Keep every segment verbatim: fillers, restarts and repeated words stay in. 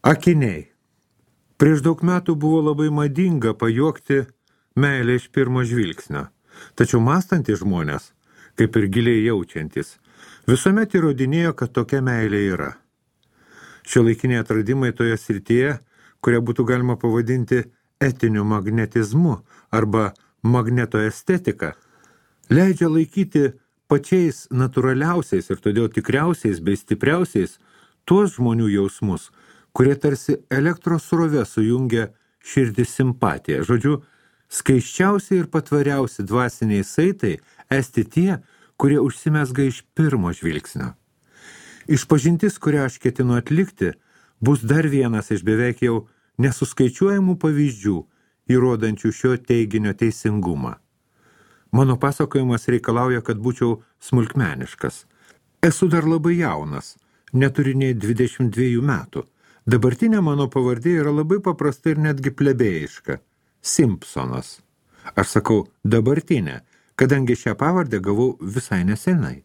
Akiniai. Prieš daug metų buvo labai madinga pajuokti meilę iš pirmo žvilgsnio. Tačiau mąstantys žmonės, kaip ir giliai jaučiantis, visuomet įrodinėjo, kad tokia meilė yra. Šiuolaikiniai atradimai toje srityje, kurią būtų galima pavadinti etiniu magnetizmu arba magnetoestetika, leidžia laikyti pačiais natūraliausiais ir todėl tikriausiais bei stipriausiais tuos žmonių jausmus, kurie tarsi elektros srove sujungia širdį simpatiją. Žodžiu, skaiščiausiai ir patvariausi dvasiniai saitai esti tie, kurie užsimesga iš pirmo žvilgsnio. Išpažintis, kurią aš ketinu atlikti, bus dar vienas iš beveik jau nesuskaičiuojamų pavyzdžių, įrodančių šio teiginio teisingumą. Mano pasakojimas reikalauja, kad būčiau smulkmeniškas. Esu dar labai jaunas, neturiu nei dvidešimt dviejų metų. Dabartinė mano pavardė yra labai paprasta ir netgi plebėjiška – Simpsonas. Aš sakau dabartinė, kadangi šią pavardę gavau visai nesenai.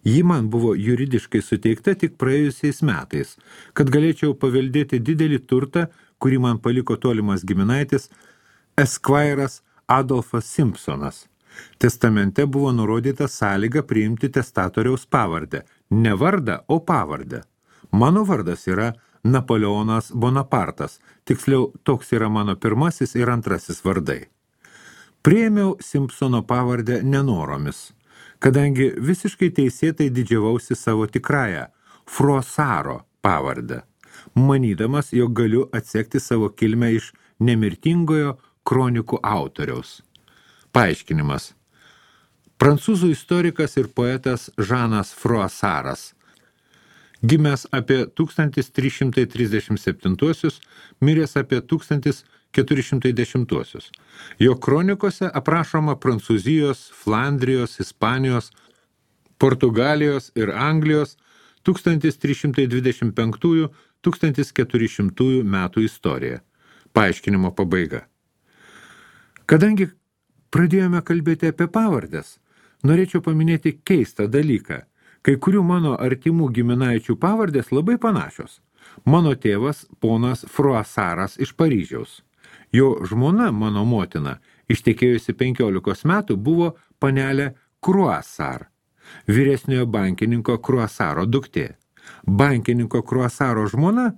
Ji man buvo juridiškai suteikta tik praėjusiais metais, kad galėčiau paveldėti didelį turtą, kurį man paliko tolimas giminaitis Esquire'as Adolfas Simpsonas. Testamente buvo nurodyta sąlyga priimti testatoriaus pavardę. Ne vardą, o pavardę. Mano vardas yra Napoleonas Bonapartas, tiksliau toks yra mano pirmasis ir antrasis vardai. Priėmiau Simpsono pavardę nenoromis, kadangi visiškai teisėtai didžiavausi savo tikrąją Froissaro pavardę, manydamas, jog galiu atsekti savo kilmę iš nemirtingojo kronikų autoriaus. Paaiškinimas. Prancūzų istorikas ir poetas Žanas Froissaras, gimęs apie tūkstantis trys šimtai trisdešimt septintuosius, miręs apie tūkstantis keturi šimtai dešimtuosius. Jo kronikose aprašoma Prancūzijos, Flandrijos, Ispanijos, Portugalijos ir Anglijos tūkstantis trys šimtai dvidešimt penktųjų - tūkstantis keturi šimtųjų metų istorija. Paaiškinimo pabaiga. Kadangi pradėjome kalbėti apie pavardes, norėčiau paminėti keistą dalyką. Kai kurių mano artimų giminaičių pavardės labai panašios. Mano tėvas ponas Froissaras iš Paryžiaus. Jo žmona, mano motina, ištekėjusi penkiolikos metų, buvo panelė Croissart, vyresniojo bankininko Croissaro duktė. Bankininko Croissaro žmona,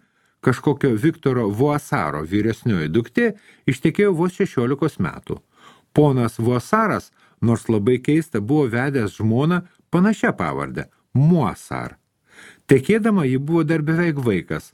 kažkokio Viktoro Voissaro vyresnioji duktė, ištekėjo vos šešiolikos metų. Ponas Voissaras, nors labai keista, buvo vedęs žmoną panašia pavardę – Moissart. Tekėdama ji buvo dar beveik vaikas.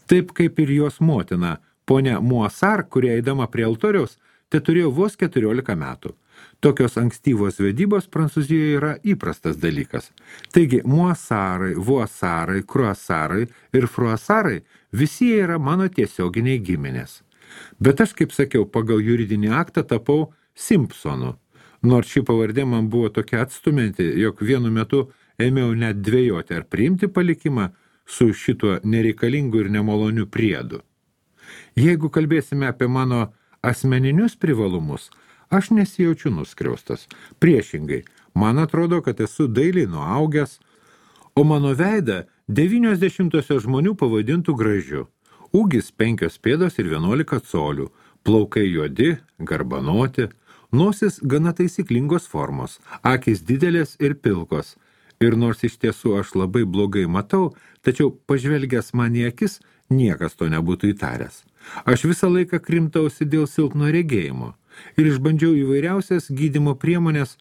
Taip kaip ir jos motina, ponia Moissart, kurie eidama prie altoriaus, te turėjo vos keturiolika metų. Tokios ankstyvos vedybos Prancūzijoje yra įprastas dalykas. Taigi Moissarai, Voissarai, Croissarai ir Froissarai visi jie yra mano tiesioginiai giminės. Bet aš, kaip sakiau, pagal juridinį aktą tapau Simpsonu. Nors ši pavardė man buvo tokia atstumianti, jog vienu metu ėmiau net dvejoti ar priimti palikimą su šituo nereikalingu ir nemaloniu priedu. Jeigu kalbėsime apie mano asmeninius privalumus, aš nesijaučiu nuskriaustas. Priešingai, man atrodo, kad esu dailiai nuaugęs, o mano veidą devynios dešimtosios žmonių pavadintų gražiu. Ūgis penkios pėdos ir vienuolika colių, plaukai juodi, garbanoti, nosis gana taisyklingos formos, akys didelės ir pilkos. Ir nors iš tiesų aš labai blogai matau, tačiau pažvelgęs man į akis, niekas to nebūtų įtaręs. Aš visą laiką krimtausi dėl silpno regėjimo ir išbandžiau įvairiausias gydymo priemonės,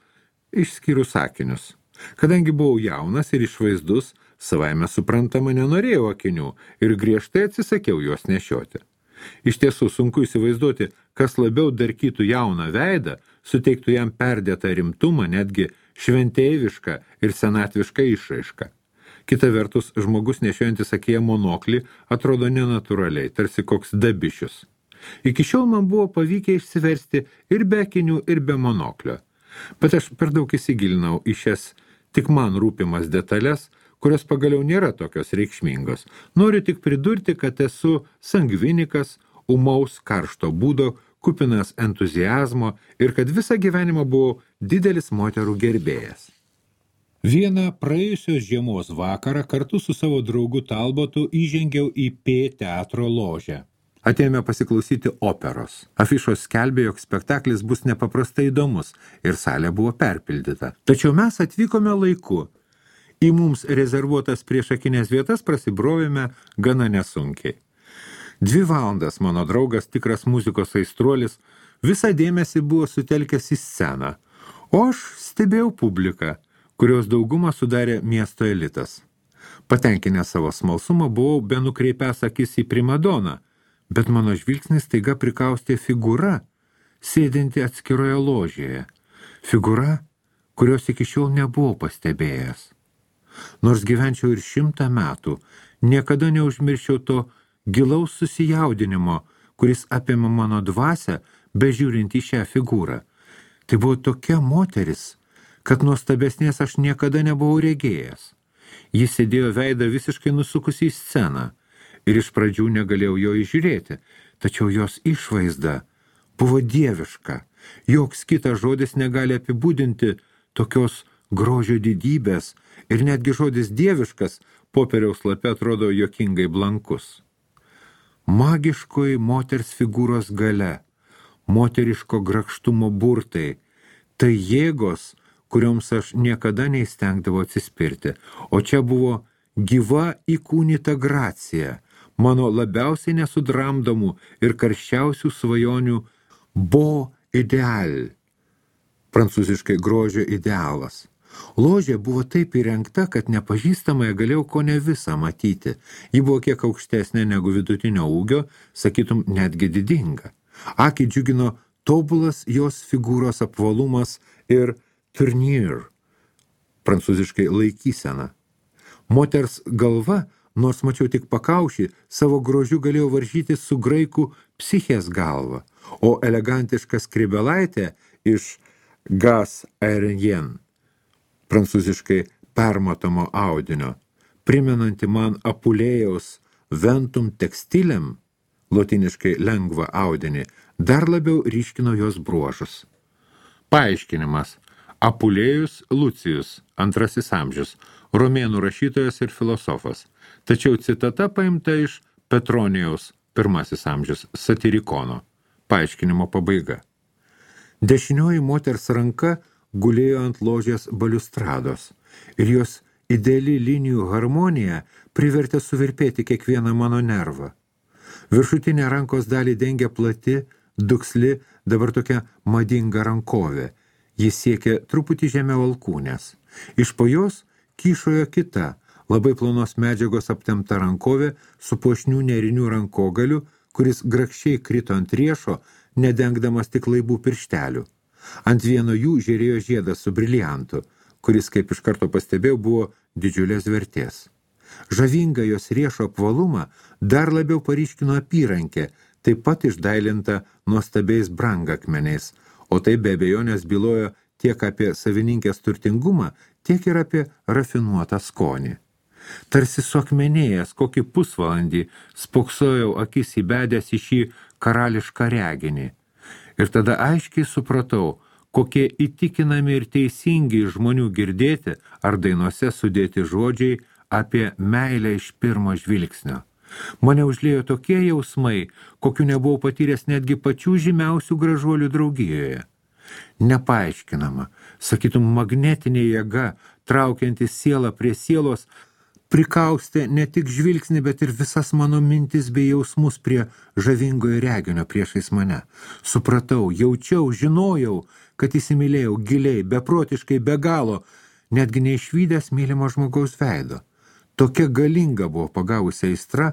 išskyrus akinius. Kadangi buvau jaunas ir išvaizdus, savaime suprantama nenorėjau akinių ir griežtai atsisakiau juos nešioti. Iš tiesų sunku įsivaizduoti, kas labiau darkytų jauną veidą, suteiktų jam perdėtą rimtumą, netgi šventeivišką ir senatvišką išraišką. Kita vertus, žmogus nešiojantis akyje monoklį atrodo nenatūraliai, tarsi koks dabišius. Iki šiol man buvo pavykę išsiversti ir be akinių, ir be monoklio. Bet aš per daug įsigilinau į šias tik man rūpimas detalės, kurios pagaliau nėra tokios reikšmingos. Noriu tik pridurti, kad esu sangvinikas, umaus karšto būdo, kupinas entuziazmo ir kad visą gyvenimą buvau didelis moterų gerbėjas. Vieną praėjusios žiemos vakarą kartu su savo draugu Talbotu įžengiau į P teatro ložę. Atėjome pasiklausyti operos. Afišos skelbė, jog spektaklis bus nepaprastai įdomus ir salė buvo perpildyta. Tačiau mes atvykome laiku. Į mums rezervuotas priešakinės vietas prasibrovėme gana nesunkiai. Dvi valandas mano draugas, tikras muzikos aistruolis, visą dėmesį buvo sutelkęs į sceną, o aš stebėjau publiką, kurios daugumą sudarė miesto elitas. Patenkinęs savo smalsumą buvau be nukreipęs akis į primadoną, bet mano žvilgsnis staiga prikaustė figūra, sėdinti atskiroje ložėje. Figūra, kurios iki šiol nebuvau pastebėjęs. Nors gyvenčiau ir šimtą metų, niekada neužmirščiau to gilaus susijaudinimo, kuris apėmė mano dvasią, bežiūrint į šią figūrą. Tai buvo tokia moteris, kad nuostabesnės aš niekada nebuvau regėjęs. Jis sėdėjo veidą visiškai nusukusi į sceną ir iš pradžių negalėjau jo įžiūrėti, tačiau jos išvaizda buvo dieviška. Joks kitas žodis negali apibūdinti tokios grožio didybės ir netgi žodis dieviškas popieriaus lape atrodo juokingai blankus. Magiškoji moters figūros galia, moteriško grakštumo burtai, tai jėgos, kurioms aš niekada neįstengdavau atsispirti, o čia buvo gyva įkūnyta gracija, mano labiausiai nesudramdomų ir karščiausių svajonių beau idéal, prancūziškai grožio idealas. Ložė buvo taip įrengta, kad nepažįstamąją galėjau kone visą matyti. Ji buvo kiek aukštesnė negu vidutinio ūgio, sakytum netgi didinga. Akį džiugino tobulas jos figūros apvalumas ir tournure, prancūziškai laikysena. Moters galva, nors mačiau tik pakaušį, savo grožiu galėjo varžyti su graikų psichės galva, o elegantiška skrybelaitė iš gas aérien, prancūziškai permatomo audinio, primenanti man Apulėjaus ventum textilem, lotiniškai lengvą audinį, dar labiau ryškino jos bruožus. Paaiškinimas. Apulėjus Lucijus, antrasis amžius, romėnų rašytojas ir filosofas, tačiau citata paimta iš Petronijaus, pirmasis amžius, satirikono. Paaiškinimo pabaiga. Dešinioji moters ranka gulėjo ant ložės baliustrados ir jos ideali linijų harmonija privertė suvirpėti kiekvieną mano nervą. Viršutinė rankos dalį dengia plati, duksli, dabar tokia madinga rankovė. Jis siekė truputį žemiau alkūnės. Iš po jos kyšojo kita, labai plonos medžiagos aptempta rankovė su puošnių nerinių rankogaliu, kuris grakščiai krito ant riešo, nedengdamas tik laibų pirštelių. Ant vieno jų žėrėjo žiedas su briliantu, kuris, kaip iš karto pastebėjau, buvo didžiulės vertės. Žavinga jos riešo apvalumą dar labiau paryškino apyrankė, taip pat išdailinta nuostabiais brangakmeniais, o tai be abejonės bylojo tiek apie savininkės turtingumą, tiek ir apie rafinuotą skonį. Tarsi suakmenėjęs kokį pusvalandį spoksojau akis įbedęs į šį karališką reginį. Ir tada aiškiai supratau, kokie įtikinami ir teisingi žmonių girdėti ar dainuose sudėti žodžiai apie meilę iš pirmo žvilgsnio. Mane užliejo tokie jausmai, kokių nebuvau patyręs netgi pačių žymiausių gražuolių draugijoje. Nepaaiškinama, sakytum, magnetinė jėga, traukianti sielą prie sielos, prikaustė ne tik žvilgsnį, bet ir visas mano mintis bei jausmus prie žavingojo reginio priešais mane. Supratau, jaučiau, žinojau, kad įsimylėjau giliai, beprotiškai, be galo, netgi neišvydęs mylimo žmogaus veido. Tokia galinga buvo pagavusi aistra,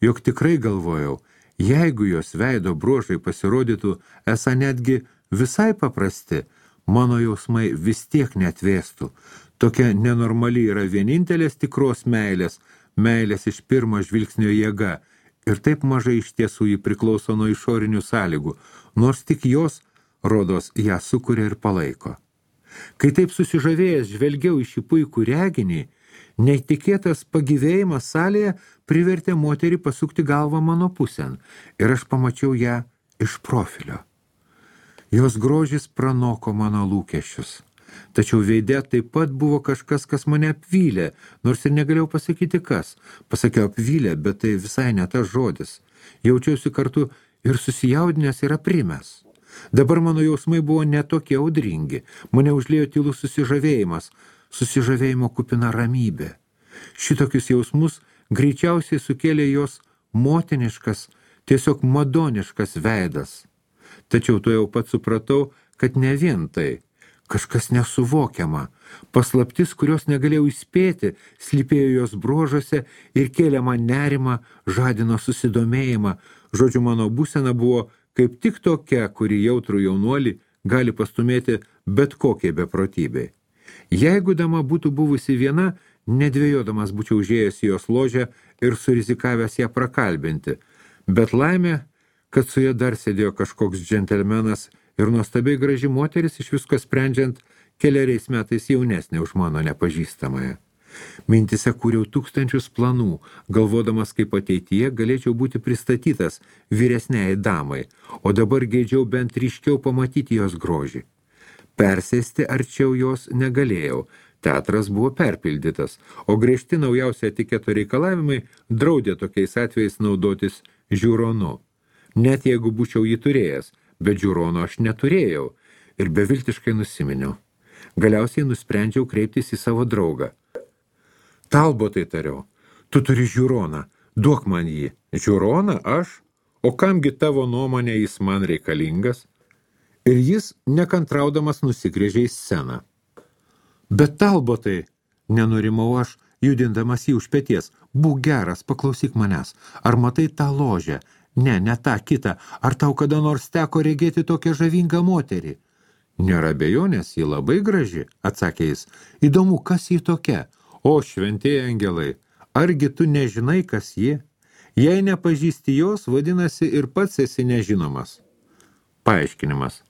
jog tikrai galvojau, jeigu jos veido bruožai pasirodytų esą netgi visai paprasti, mano jausmai vis tiek neatvėstų. Tokia nenormali yra vienintelės tikros meilės, meilės iš pirmo žvilgsnio jėga, ir taip mažai iš tiesų ji priklauso nuo išorinių sąlygų, nors tik jos, rodos, ją sukuria ir palaiko. Kai taip susižavėjęs žvelgiau į šį puikų reginį, neįtikėtas pagyvėjimas salėje privertė moterį pasukti galvą mano pusėn ir aš pamačiau ją iš profilio. Jos grožis pranoko mano lūkesčius. Tačiau veide taip pat buvo kažkas, kas mane apvylė, nors ir negalėjau pasakyti kas. Pasakiau apvylė, bet tai visai ne tas žodis. Jaučiausi kartu ir susijaudinęs ir aprimęs. Dabar mano jausmai buvo netokie audringi. Mane užliejo tylus susižavėjimas, susižavėjimo kupina ramybė. Šitokius jausmus greičiausiai sukėlė jos motiniškas, tiesiog madoniškas veidas. Tačiau to jau pat supratau, kad ne vien tai. Kažkas nesuvokiama. Paslaptis, kurios negalėjau įspėti, slypėjo jos bruožuose ir kėlė man nerimą, žadino susidomėjimą. Žodžiu, mano būsena buvo kaip tik tokia, kuri jautrų jaunuolį gali pastumėti bet kokiai beprotybei. Jeigu dama būtų buvusi viena, nedvėjodamas būčiau užėjęs į jos ložę ir surizikavęs ją prakalbinti. Bet laimė, kad su ja dar sėdėjo kažkoks džentelmenas ir nuostabiai graži moteris, iš visko sprendžiant keliariais metais jaunesnė už mano nepažįstamąją. Mintise kūriau tūkstančius planų, galvodamas, kaip ateityje galėčiau būti pristatytas vyresniai damai, o dabar geidžiau bent ryškiau pamatyti jos grožį. Persėsti arčiau jos negalėjau, teatras buvo perpildytas, o griežti naujausi etiketo reikalavimai draudė tokiais atvejais naudotis žiūronu. Net jeigu būčiau jį turėjęs, bet žiūrono aš neturėjau ir beviltiškai nusiminiau. Galiausiai nusprendžiau kreiptis į savo draugą. Talbotai, tariau, tu turi žiūroną, duok man jį. Žiūroną aš? O kamgi tavo nuomonė jis man reikalingas? Ir jis, nekantraudamas, nusigrėžė į sceną. Bet Talbotai, nenurimau aš, judindamas jį už peties, būk geras, paklausyk manęs. Ar matai tą ložę? Ne, ne tą kitą. Ar tau kada nors teko regėti tokią žavingą moterį? Nėra abejonės, ji labai graži, atsakė jis. Įdomu, kas ji tokia? O, šventieji angelai, argi tu nežinai, kas ji? Jei nepažįsti jos, vadinasi ir pats esi nežinomas. Paaiškinimas.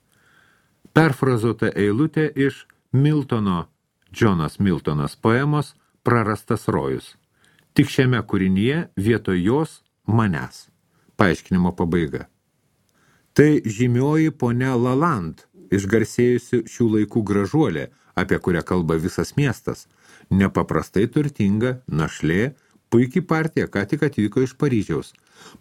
Perfrazuota eilutė iš Miltono, Džonas Miltonas poemos Prarastas rojus. Tik šiame kūrinyje vietoj jos manęs. Paaiškinimo pabaiga. Tai žymioji ponia Lalande, išgarsėjusi šių laikų gražuolė, apie kurią kalba visas miestas. Nepaprastai turtinga, našlė, puikiai partija, ką tik atvyko iš Paryžiaus.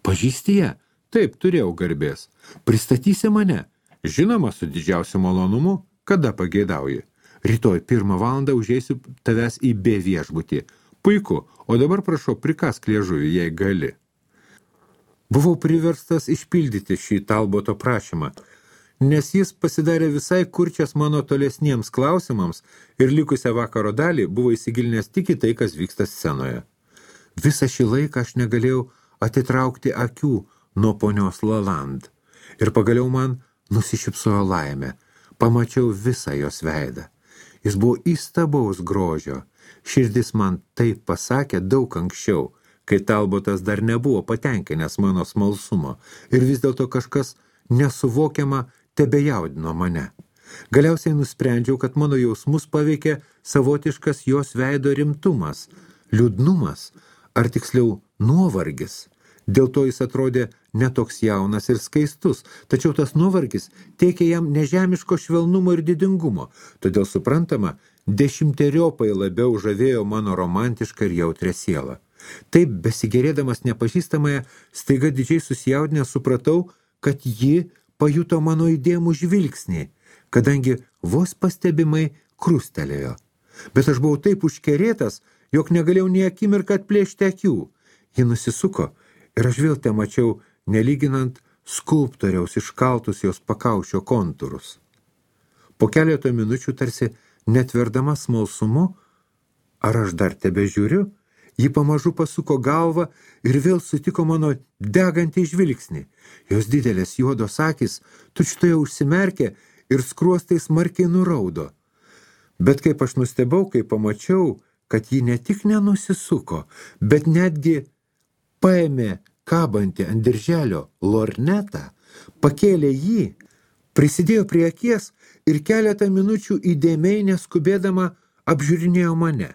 Pažįsti ją? Taip, turėjau garbės. Pristatysi mane? Žinoma, su didžiausiu malonumu, kada pageidauji. Rytoj pirmą valandą užeisiu tavęs į B viešbutį. Puiku, o dabar prašau, prikask liežuvį, jei gali. Buvau priverstas išpildyti šį Talboto prašymą, nes jis pasidarė visai kurčias mano tolesniems klausimams ir likusią vakaro dalį buvo įsigilinęs tik į tai, kas vyksta scenoje. Visą šį laiką aš negalėjau atitraukti akių nuo ponios Lalande ir pagaliau man nusišypsojo laimė. Pamačiau visą jos veidą. Jis buvo įstabaus grožio. Širdis man taip pasakė daug anksčiau, kai Talbotas dar nebuvo patenkinęs mano smalsumo ir vis dėlto kažkas nesuvokiama tebejaudino mane. Galiausiai nusprendžiau, kad mano jausmus paveikė savotiškas jos veido rimtumas, liūdnumas, ar tiksliau nuovargis. Dėl to jis atrodė netoks jaunas ir skaistus, tačiau tas nuovargis teikė jam nežemiško švelnumo ir didingumo, todėl suprantama, dešimteriopai labiau žavėjo mano romantišką ir jautrę sielą. Taip, besigerėdamas nepažįstamąją, staiga didžiai susijaudinę supratau, kad ji pajuto mano įdėmų žvilgsnį, kadangi vos pastebimai krustelėjo. Bet aš buvau taip užkerėtas, jog negalėjau nei akimirką atplėšti akių. Ji nusisuko ir aš vėl te mačiau, nelyginant skulptoriaus iškaltus jos pakaušio kontūrus. Po keleto minučių tarsi netverdama smalsumu, ar aš dar tebe žiūriu, ji pamažu pasuko galvą ir vėl sutiko mano degantį žvilgsnį. Jos didelės juodos akys tučtoje užsimerkė ir skruostai smarkiai nuraudo. Bet kaip aš nustebau, kai pamačiau, kad ji ne tik nenusisuko, bet netgi paėmė kabantį ant dirželio lornetą, pakėlė jį, prisidėjo prie akies ir keletą minučių įdėmiai neskubėdama apžiūrinėjo mane.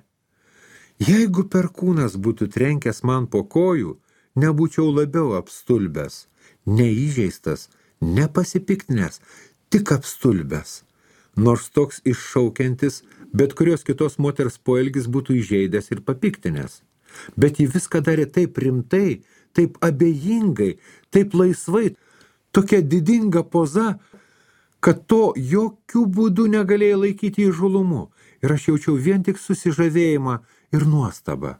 Jeigu perkūnas būtų trenkęs man po kojų, nebūčiau labiau apstulbęs, neįžeistas, nepasipiktinęs, tik apstulbęs. nors toks iššaukiantis, bet kurios kitos moters poelgis būtų įžeidęs ir papiktinęs. Bet ji viską darė taip rimtai, taip abejingai, taip laisvai, tokia didinga poza, kad to jokių būdų negalėjo laikyti įžulumu, ir aš jaučiau vien tik susižavėjimą ir nuostabą.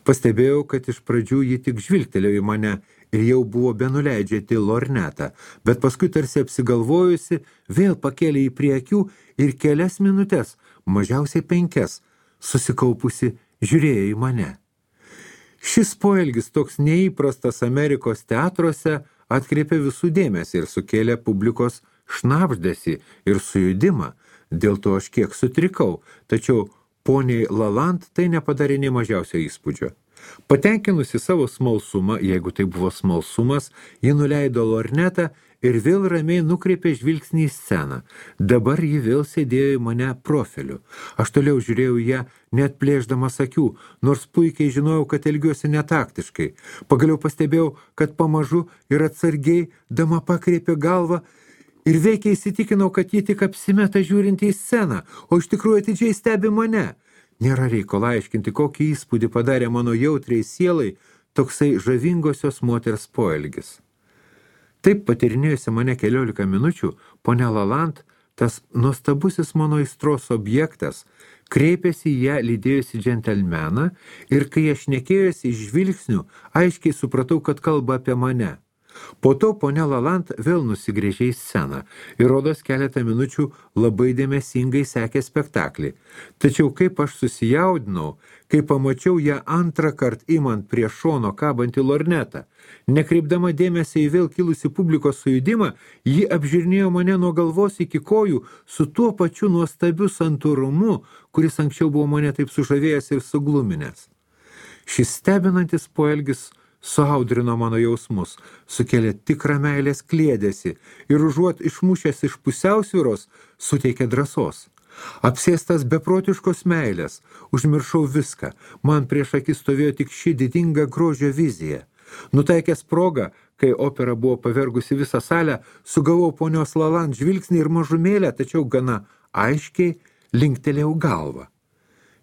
Pastebėjau, kad iš pradžių ji tik žvilgtelėjo į mane ir jau buvo benuleidžianti lornetą, bet paskui tarsi apsigalvojusi, vėl pakėlė į prie akių ir kelias minutės, mažiausiai penkias, susikaupusi žiūrėjo į mane. Šis poelgis toks neįprastas Amerikos teatruose atkreipė visų dėmesį ir sukėlė publikos šnabždesį ir sujudimą, dėl to aš kiek sutrikau, tačiau poniai Lalande tai nepadarė nė mažiausio įspūdžio. Patenkinusi savo smalsumą, jeigu tai buvo smalsumas, ji nuleido lornetą ir vėl ramiai nukreipė žvilgsnį į sceną. Dabar ji vėl sėdėjo į mane profiliu. Aš toliau žiūrėjau ją, net plėšdamas akių, nors puikiai žinojau, kad elgiuosi netaktiškai. Pagaliau pastebėjau, kad pamažu ir atsargiai dama pakreipė galvą ir veikiai įsitikinau, kad ji tik apsimeta žiūrinti į sceną, o iš tikrųjų atidžiai stebi mane. Nėra reikalo aiškinti, kokį įspūdį padarė mano jautriai sielai toksai žavingosios moters poelgis. Taip patyrinėjusi mane keliolika minučių, ponia Lalande, tas nuostabusis mano aistros objektas, kreipėsi į ją lydėjusi džentelmeną ir kai aš šnekėjosi iš žvilgsnių, aiškiai supratau, kad kalba apie mane. Po to ponia Lalande vėl nusigręžė į sceną ir rodos keletą minučių labai dėmesingai sekė spektaklį. Tačiau kaip aš susijaudinau, kai pamačiau ją antrą kart imant prie šono kabantį lornetą, nekreipdama dėmesį į vėl kilusi publikos sujudimą, ji apžiūrinėjo mane nuo galvos iki kojų su tuo pačiu nuostabiu santūrumu, kuris anksčiau buvo mane taip sužavėjęs ir sugluminęs. Šis stebinantis poelgis suaudrino mano jausmus, sukėlė tikrą meilės kliedesį ir užuot išmušęs iš pusiausvyros, suteikė drąsos. Apsėstas beprotiškos meilės, užmiršau viską, man prieš akis stovėjo tik ši didinga grožio vizija. Nutaikęs progą, kai opera buvo pavergusi visą salę, sugavau ponios Lalande žvilgsnį ir mažumėlę, tačiau gana aiškiai linktelėjau galvą.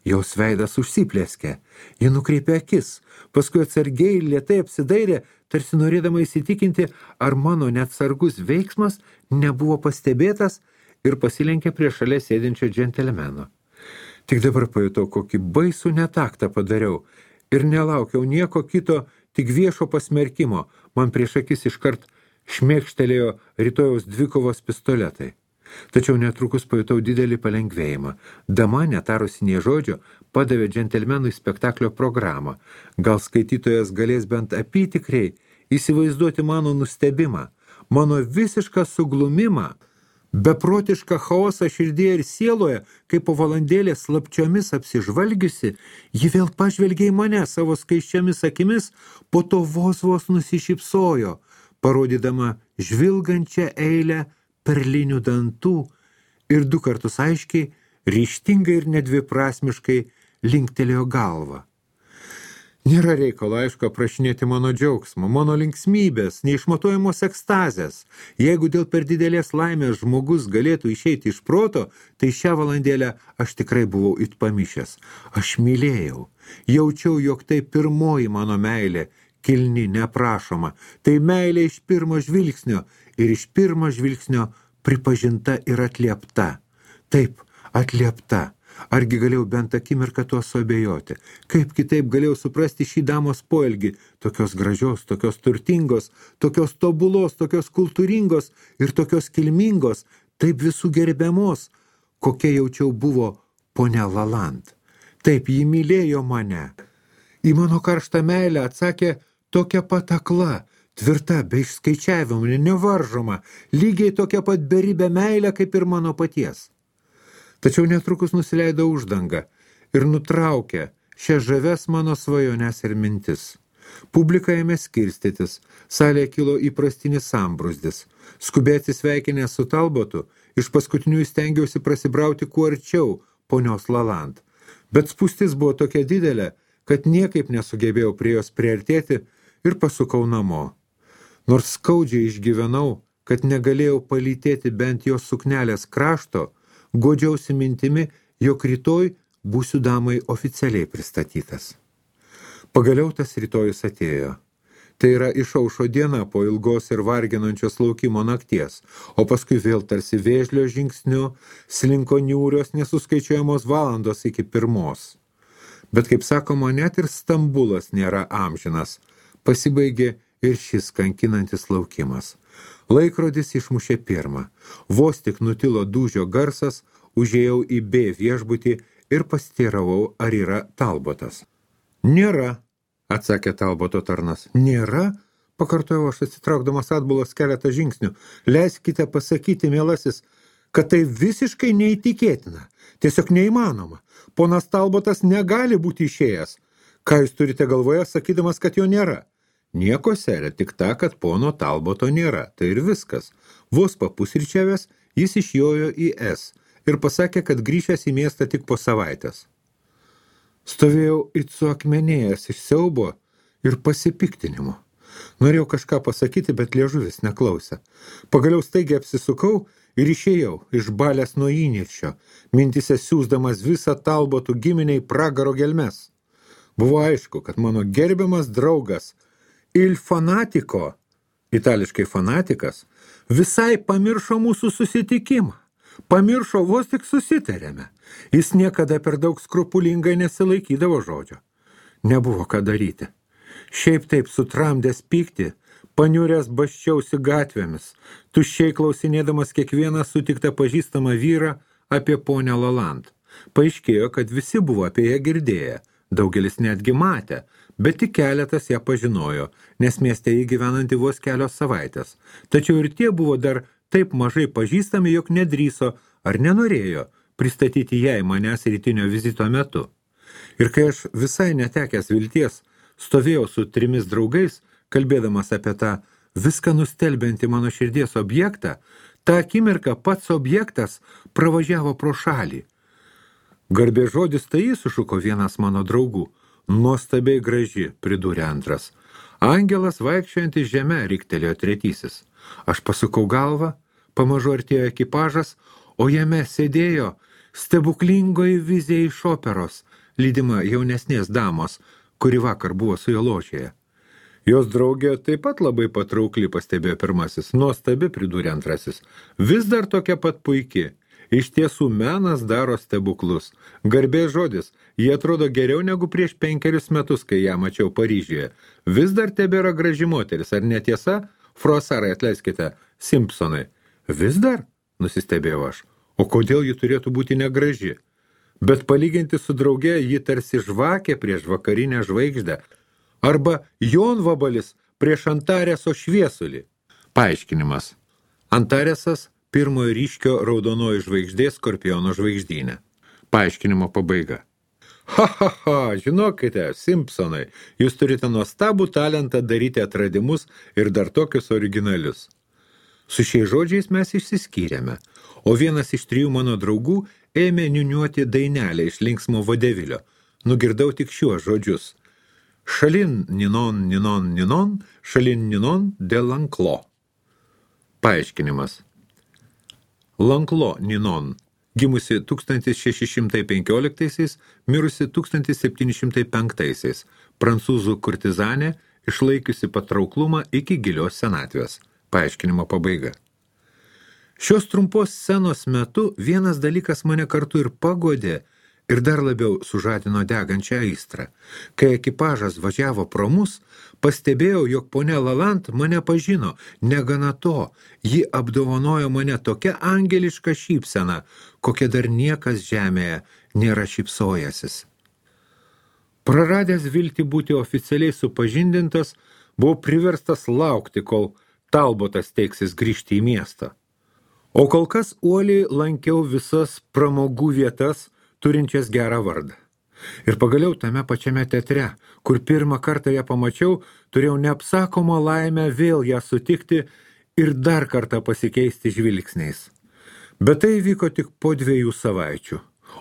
Jos veidas užsiplėskė, ji nukreipė akis, paskui atsargiai lėtai apsidairė, tarsi norėdama įsitikinti, ar mano neatsargus veiksmas nebuvo pastebėtas ir pasilenkė prie šalia sėdinčio džentelmeno. Tik dabar pajutau, kokį baisų netaktą padariau ir nelaukiau nieko kito, tik viešo pasmerkimo, man prieš akis iškart šmėkštelėjo rytojaus dvikovos pistoletai. Tačiau netrukus pajutau didelį palengvėjimą. Dama, netarusi nė žodžio, padavė džentelmenui spektaklio programą. Gal skaitytojas galės bent apytikriai įsivaizduoti mano nustebimą, mano visišką suglumimą, beprotišką chaosą širdyje ir sieloje, kai po valandėlės slapčiomis apsižvalgiusi, ji vėl pažvelgė į mane savo skaisčiomis akimis, po to vos vos nusišypsojo, parodydama žvilgančią eilę perlinių dantų ir du kartus aiškiai, ryžtingai ir nedviprasmiškai linktelėjo galvą. Nėra reikalo, aišku, aprašinėti mano džiaugsmo, mano linksmybės, neišmatuojamos ekstazės. Jeigu dėl per didelės laimės žmogus galėtų išeiti iš proto, tai šią valandėlę aš tikrai buvau it pamišęs. Aš mylėjau, jaučiau, jog tai pirmoji mano meilė, kilni, neprašoma. Tai meilė iš pirmo žvilgsnio ir iš pirmo žvilgsnio pripažinta ir atliepta. Taip, atliepta. Argi galėjau bent akimirką tuo suabejoti? Kaip kitaip galėjau suprasti šį damos poelgį, tokios gražios, tokios turtingos, tokios tobulos, tokios kultūringos ir tokios kilmingos, taip visų gerbiamos, kokia jaučiau buvo ponia Lalande. Taip, ji mylėjo mane. Į mano karštą meilę atsakė tokia pat akla, tvirta, be išskaičiavimų, nevaržoma, lygiai tokia pat beribė meilė kaip ir mano paties. Tačiau netrukus nusileido uždanga ir nutraukė šią žaves mano svajones ir mintis. Publika ėmė skirstytis, salėje kilo įprastinis sambrūzdis. Skubiai atsisveikinęs su Talbotu, iš paskutinių stengiausi prasibrauti kuo arčiau ponios Lalande. Bet spūstis buvo tokia didelė, kad niekaip nesugebėjau prie jos priartėti ir pasukau namo. Nors skaudžiai išgyvenau, kad negalėjau palytėti bent jos suknelės krašto, godžiausi mintimi, jog rytoj būsiu damai oficialiai pristatytas. Pagaliau tas rytojus atėjo. Tai yra išaušo diena po ilgos ir varginančios laukimo nakties, o paskui vėl tarsi vėžlio žingsniu slinko niūrios nesuskaičiuojamos valandos iki pirmos. Bet, kaip sakoma, net ir Stambulas nėra amžinas. Pasibaigė ir šis kankinantis laukimas. Laikrodis išmušė pirmą. Vos tik nutilo dūžio garsas, užėjau į B viešbutį ir pasiteiravau, ar yra Talbotas. Nėra, atsakė Talboto tarnas. Nėra? Pakartojau aš atsitraukdamas atbulos keletą žingsnių. Leiskite pasakyti, mielasis, kad tai visiškai neįtikėtina. Tiesiog neįmanoma. Ponas Talbotas negali būti išėjęs. Ką jūs turite galvoje, sakydamas, kad jo nėra? Nieko, serė, tik ta, kad pono Talboto nėra. Tai ir viskas. Vos papusryčiavęs, jis išjojo į S ir pasakė, kad grįžęs į miestą tik po savaitės. Stovėjau it suakmenėjęs iš siaubo ir pasipiktinimo. Norėjau kažką pasakyti, bet liežuvis neklausė. Pagaliau staigiai apsisukau ir išėjau, išbalęs nuo įniršio, mintise siųsdamas visą Talbotų giminiai pragaro gelmes. Buvo aišku, kad mano gerbiamas draugas Il Fanatico, itališkai fanatikas, visai pamiršo mūsų susitikimą. Pamiršo, vos tik susitarėme. Jis niekada per daug skrupulingai nesilaikydavo žodžio. Nebuvo ką daryti. Šiaip taip sutramdęs pykti, paniuręs basčiausi gatvėmis, tuščiai klausinėdamas kiekvieną sutiktą pažįstamą vyrą apie ponę Laland. Paaiškėjo, kad visi buvo apie ją girdėję, daugelis netgi matė, bet tik keletas ją pažinojo, nes mieste jį gyvenanti vos kelios savaitės. Tačiau ir tie buvo dar taip mažai pažįstami, jog nedrįso ar nenorėjo pristatyti jai manęs rytinio vizito metu. Ir kai aš visai netekęs vilties stovėjau su trimis draugais, kalbėdamas apie tą viską nustelbiantį mano širdies objektą, tą akimirką pats objektas pravažiavo pro šalį. Garbė žodis tai jis, sušuko vienas mano draugų. Nuostabiai graži, pridūrė antras. Angelas vaikščiojantis žeme, riktelėjo tretysis. Aš pasukau galvą, pamažu artėjo ekipažas, o jame sėdėjo stebuklingoji vizija iš operos, lydima jaunesnės damos, kuri vakar buvo su jo ložėje. Jos draugė taip pat labai patraukli, pastebėjo pirmasis. Nuostabi, pridūrė antrasis. Vis dar tokia pat puiki. Iš tiesų menas daro stebuklus. Garbės žodis, jie atrodo geriau negu prieš penkerius metus, kai ją mačiau Paryžiuje. Vis dar tebėra graži moteris, ar netiesa? Frosarai, atleiskite, Simpsonai. Vis dar? Nusistebėjau aš. O kodėl ji turėtų būti negraži? Bet palyginti su drauge, ji tarsi žvakė prieš vakarinę žvaigždę. Arba jonvabalis prieš Antareso šviesulį. Paaiškinimas. Antaresas pirmojo ryškio raudonoji žvaigždė Skorpiono žvaigždynė. Paaiškinimo pabaiga. Ha, ha, ha, žinokite, Simpsonai, jūs turite nuostabų talentą daryti atradimus ir dar tokius originalius. Su šiais žodžiais mes išsiskyrėme, o vienas iš trijų mano draugų ėmė niuniuoti dainelę iš linksmo vodevilio. Nugirdau tik šiuos žodžius. Šalin ninon, ninon, ninon, šalin ninon de Lanklo. Paaiškinimas. Lanklo Ninon, gimusi tūkstantis šeši šimtai penkioliktaisiais, mirusi tūkstantis septyni šimtai penktaisiais, prancūzų kurtizanė, išlaikiusi patrauklumą iki gilios senatvės. Paaiškinimo pabaiga. Šios trumpos scenos metu vienas dalykas mane kartu ir pagodė ir dar labiau sužadino degančią aistrą. Kai ekipažas važiavo pro mus, pastebėjau, jog ponia Laland mane pažino. Negana to, ji apdovanojo mane tokia angeliška šypsena, kokia dar niekas žemėje nėra šypsojęsis. Praradęs viltį būti oficialiai supažindintas, buvau priverstas laukti, kol Talbotas teiksis grįžti į miestą. O kol kas uoliai lankiau visas pramogų vietas, turinčias gerą vardą. Ir pagaliau tame pačiame teatre, kur pirmą kartą ją pamačiau, turėjau neapsakomą laimę vėl ją sutikti ir dar kartą pasikeisti žvilgsniais. Bet tai vyko tik po dviejų savaičių.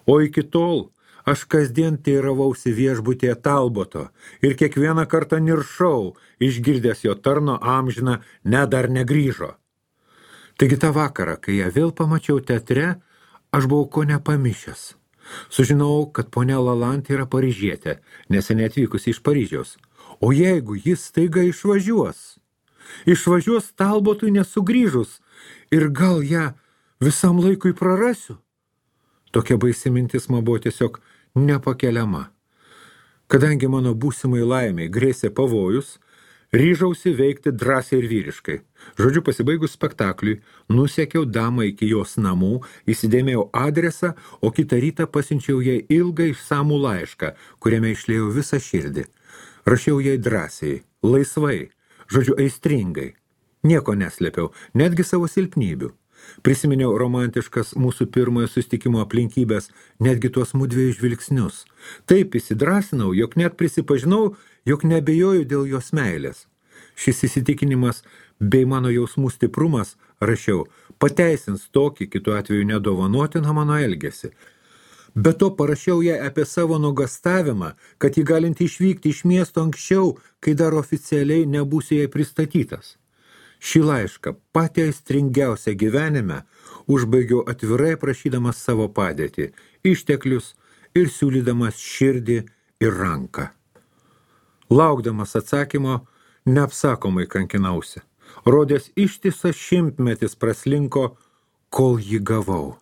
O iki tol aš kasdien teiravausi viešbutyje Talboto ir kiekvieną kartą niršau, išgirdęs jo tarno amžiną, ne dar negrįžo. Taigi tą vakarą, kai ją vėl pamačiau teatre, Aš buvau ko nepamišęs. Sužinau, kad ponia Lalant yra paryžietė, neseniai atvykusi iš Paryžiaus. O jeigu jis staiga išvažiuos? Išvažiuos Talbotui nesugrįžus ir gal ją visam laikui prarasiu? Tokia baisi mintis man buvo tiesiog nepakeliama. Kadangi mano būsimai laimiai grėsė pavojus, ryžausi veikti drąsiai ir vyriškai. Žodžiu, pasibaigus spektakliui, nusiekiau damą iki jos namų, įsidėmėjau adresą, o kitą rytą pasiunčiau jai ilgą išsamų laišką, kuriame išliejau visą širdį. Rašiau jai drąsiai, laisvai, žodžiu, aistringai. Nieko neslėpiau, netgi savo silpnybių. Prisiminiau romantiškas mūsų pirmojo susitikimo aplinkybės, netgi tuos mudviejų žvilgsnius. Taip įsidrąsinau, jog net prisipažinau, jog nebejoju dėl jos meilės. Šis įsitikinimas bei mano jausmų stiprumas, rašiau, pateisins tokį, kitu atveju nedovanotiną mano elgesį. Be to parašiau ją apie savo nuogastavimą, kad ji galinti išvykti iš miesto anksčiau, kai dar oficialiai nebūsiu jai pristatytas. Šį laišką, patį aistringiausią gyvenime, užbaigiau atvirai prašydamas savo padėtį, išteklius ir siūlydamas širdį ir ranką. Laukdamas atsakymo, neapsakomai kankinausi. Rodės ištisas šimtmetis praslinko, kol jį gavau.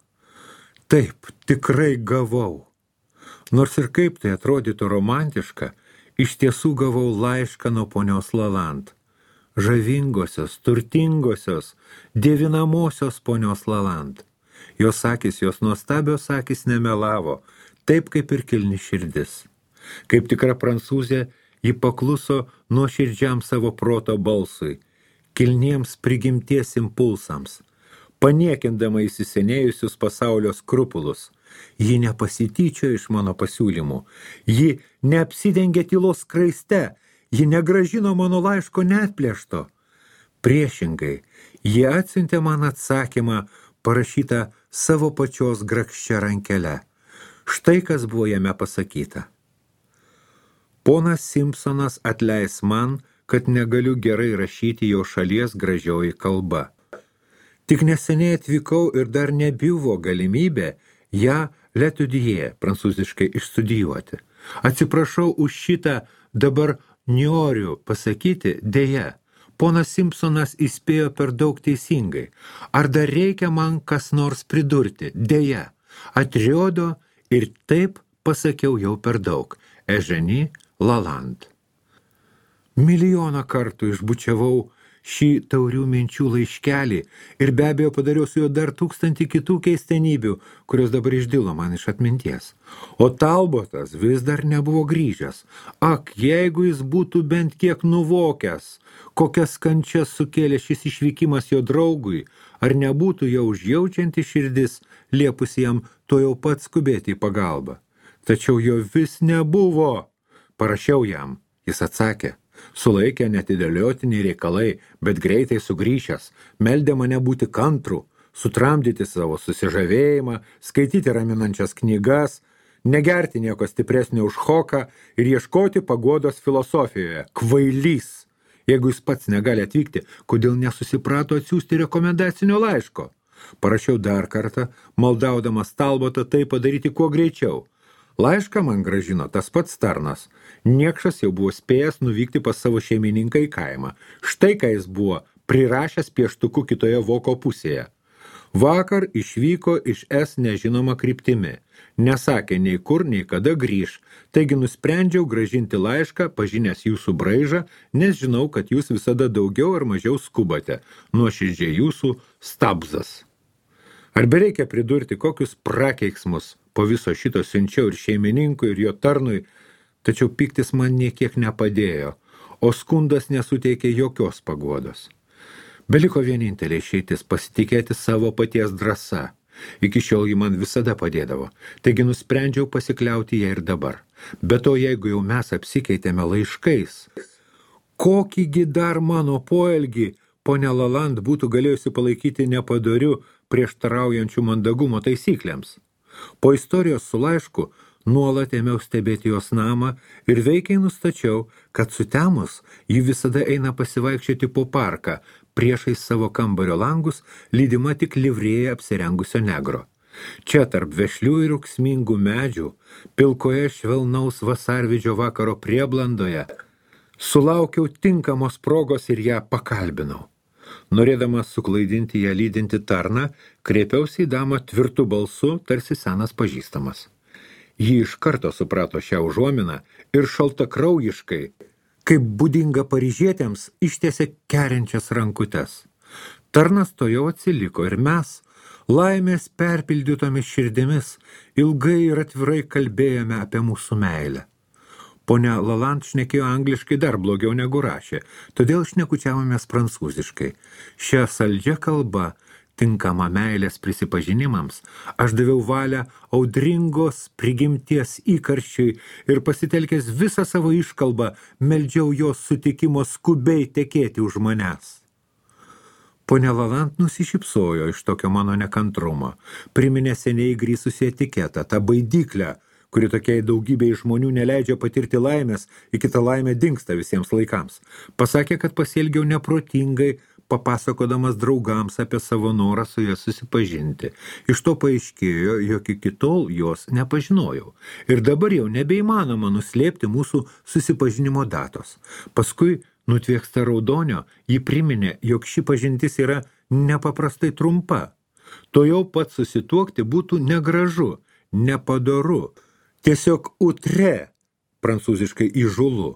Taip, tikrai gavau. Nors ir kaip tai atrodytų romantiška, iš tiesų gavau laišką nuo ponios Lalant. Žavingosios, turtingosios, dievinamosios ponios Lalant. Jos akys, jos nuostabios akys nemelavo, taip kaip ir kilni širdis. Kaip tikra prancūzė, ji pakluso nuoširdžiam savo proto balsui, kilniems prigimties impulsams, paniekindama įsisenėjusius pasaulio skrupulus. Ji nepasityčiojo iš mano pasiūlymų, ji neapsidengė tylos skraiste, ji negražino mano laiško neatplėšto. Priešingai, ji atsiuntė man atsakymą, parašytą savo pačios grakščia rankele. Štai kas buvo jame pasakyta. Ponas Simpsonas atleis man, kad negaliu gerai rašyti jo šalies gražioji kalba. Tik neseniai atvykau ir dar nebuvo galimybė ją l'étudier, prancūziškai išstudijuoti. Atsiprašau už šitą, dabar noriu pasakyti, dėja, ponas Simpsonas įspėjo per daug teisingai. Ar dar reikia man kas nors pridurti? Dėja, atriodo ir taip pasakiau jau per daug. Eugenie Lalant. Milijoną kartų išbučiavau šį taurių minčių laiškelį ir be abejo padariau su juo dar tūkstantį kitų keistenybių, kurios dabar išdilo man iš atminties. O Talbotas vis dar nebuvo grįžęs. Ak, jeigu jis būtų bent kiek nuvokęs, kokias kančias sukėlė šis išvykimas jo draugui, ar nebūtų jau užjaučianti širdis, liepusi jam to jau pat skubėti į pagalbą. Tačiau jo vis nebuvo. Parašiau jam, jis atsakė. Sulaikė netidėliotiniai reikalai, bet greitai sugrįžęs, meldė mane būti kantrų, sutramdyti savo susižavėjimą, skaityti raminančias knygas, negerti nieko stipresnio už hoką ir ieškoti paguodos filosofijoje. Kvailys! Jeigu jis pats negali atvykti, kodėl nesusiprato atsiųsti rekomendacinio laiško? Parašiau dar kartą, maldaudamas Talbotą tai padaryti kuo greičiau. Laišką man grąžino tas pats tarnas. Niekšas jau buvo spėjęs nuvykti pas savo šeimininką į kaimą. Štai ką jis buvo prirašęs pieštuku kitoje voko pusėje. Vakar išvyko iš S nežinoma kryptimi. Nesakė nei kur, nei kada grįž. Taigi nusprendžiau grąžinti laišką, pažinęs jūsų braižą, nes žinau, kad jūs visada daugiau ar mažiau skubate. Nuoširdžiai jūsų Stabzas. Ar bereikia pridurti, kokius prakeiksmus po viso šito siunčiau ir šeimininkui, ir jo tarnui, tačiau piktis man niekiek nepadėjo, o skundas nesuteikė jokios paguodos. Beliko vienintelė išeitis pasitikėti savo paties drąsa. Iki šiol ji man visada padėdavo, taigi nusprendžiau pasikliauti ją ir dabar. Be to, jeigu jau mes apsikeitėme laiškais, kokįgi dar mano poelgį ponia Lalant būtų galėjusi palaikyti nepadoriu prieštaraujančių mandagumo taisyklėms. Po istorijos su laišku nuolat ėmiau stebėti jos namą ir veikiai nustačiau, kad sutemus ji visada eina pasivaikščioti po parką, priešais savo kambario langus, lydima tik livrėja apsirengusio negro. Čia tarp vešlių ir ūksmingų medžių, pilkoje švelnaus vasarvidžio vakaro prieblandoje, sulaukiau tinkamos progos ir ją pakalbinau. Norėdamas suklaidinti ją lydinti tarną, kreipiausi į damą tvirtu balsu, tarsi senas pažįstamas. Ji iš karto suprato šią užuominą ir šaltakraujiškai, kaip būdinga paryžietėms, ištiesė keriančias rankutes. Tarnas to jau atsiliko ir mes, laimės perpildytomis širdimis, ilgai ir atvirai kalbėjome apie mūsų meilę. Ponia Lalande šnekėjo angliškai dar blogiau negu rašė, todėl šnekučiavomės prancūziškai. Šią saldžią kalbą, tinkamą meilės prisipažinimams, aš daviau valią audringos prigimties įkarščiui ir pasitelkęs visą savo iškalbą, meldžiau jos sutikimo skubiai tekėti už manęs. Ponia Lalande nusišypsojo iš tokio mano nekantrumo, priminė seniai įgrįsusi etiketą, tą baidyklę, kuri tokiai daugybei žmonių neleidžia patirti laimės, į kitą laimę dingsta visiems laikams. Pasakė, kad pasielgiau neprotingai, papasakodamas draugams apie savo norą su ja susipažinti. Iš to paaiškėjo, jog iki tol jos nepažinojau. Ir dabar jau nebeįmanoma nuslėpti mūsų susipažinimo datos. Paskui, nutvieksta raudonio, ji priminė, jog ši pažintis yra nepaprastai trumpa. To jau pat susituokti būtų negražu, nepadoru, tiesiog utre, prancūziškai įžulu.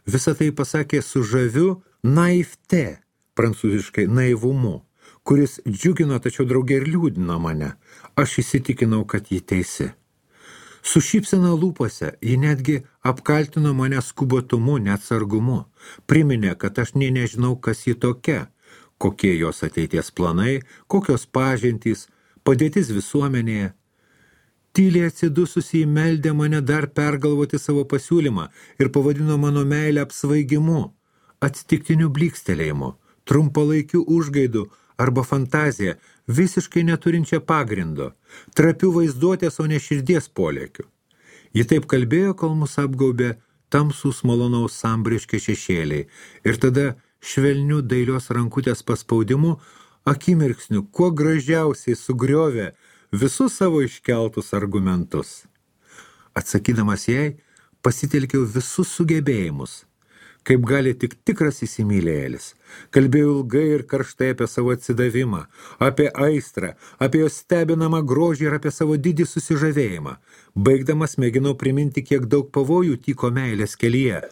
Visą tai pasakė su žaviu naivte, prancūziškai naivumu, kuris džiugino, tačiau draugė ir liūdino mane. Aš įsitikinau, kad ji teisi. Su šypsena lūpose ji netgi apkaltino mane skubotumu, neatsargumu. Priminė, kad aš nė nežinau, kas ji tokia, kokie jos ateities planai, kokios pažintys, padėtis visuomenėje. Tyliai atsidususi įmeldė mane dar pergalvoti savo pasiūlymą ir pavadino mano meilę apsvaigimu, atsitiktiniu blykstelėjimu, trumpalaikiu užgaidu arba fantaziją, visiškai neturinčią pagrindo, trapių vaizduotės, o ne širdies polėkių. Ji taip kalbėjo, kol mus apgaubė tamsūs malonaus sambriški šešėliai ir tada švelnių dailios rankutės paspaudimu akimirksniu kuo gražiausiai sugriovė visus savo iškeltus argumentus. Atsakydamas jai, pasitelkiau visus sugebėjimus, kaip gali tik tikras įsimylėjėlis. Kalbėjau ilgai ir karštai apie savo atsidavimą, apie aistrą, apie jos stebinamą grožį ir apie savo didį susižavėjimą. Baigdamas mėginau priminti, kiek daug pavojų tyko meilės kelyje.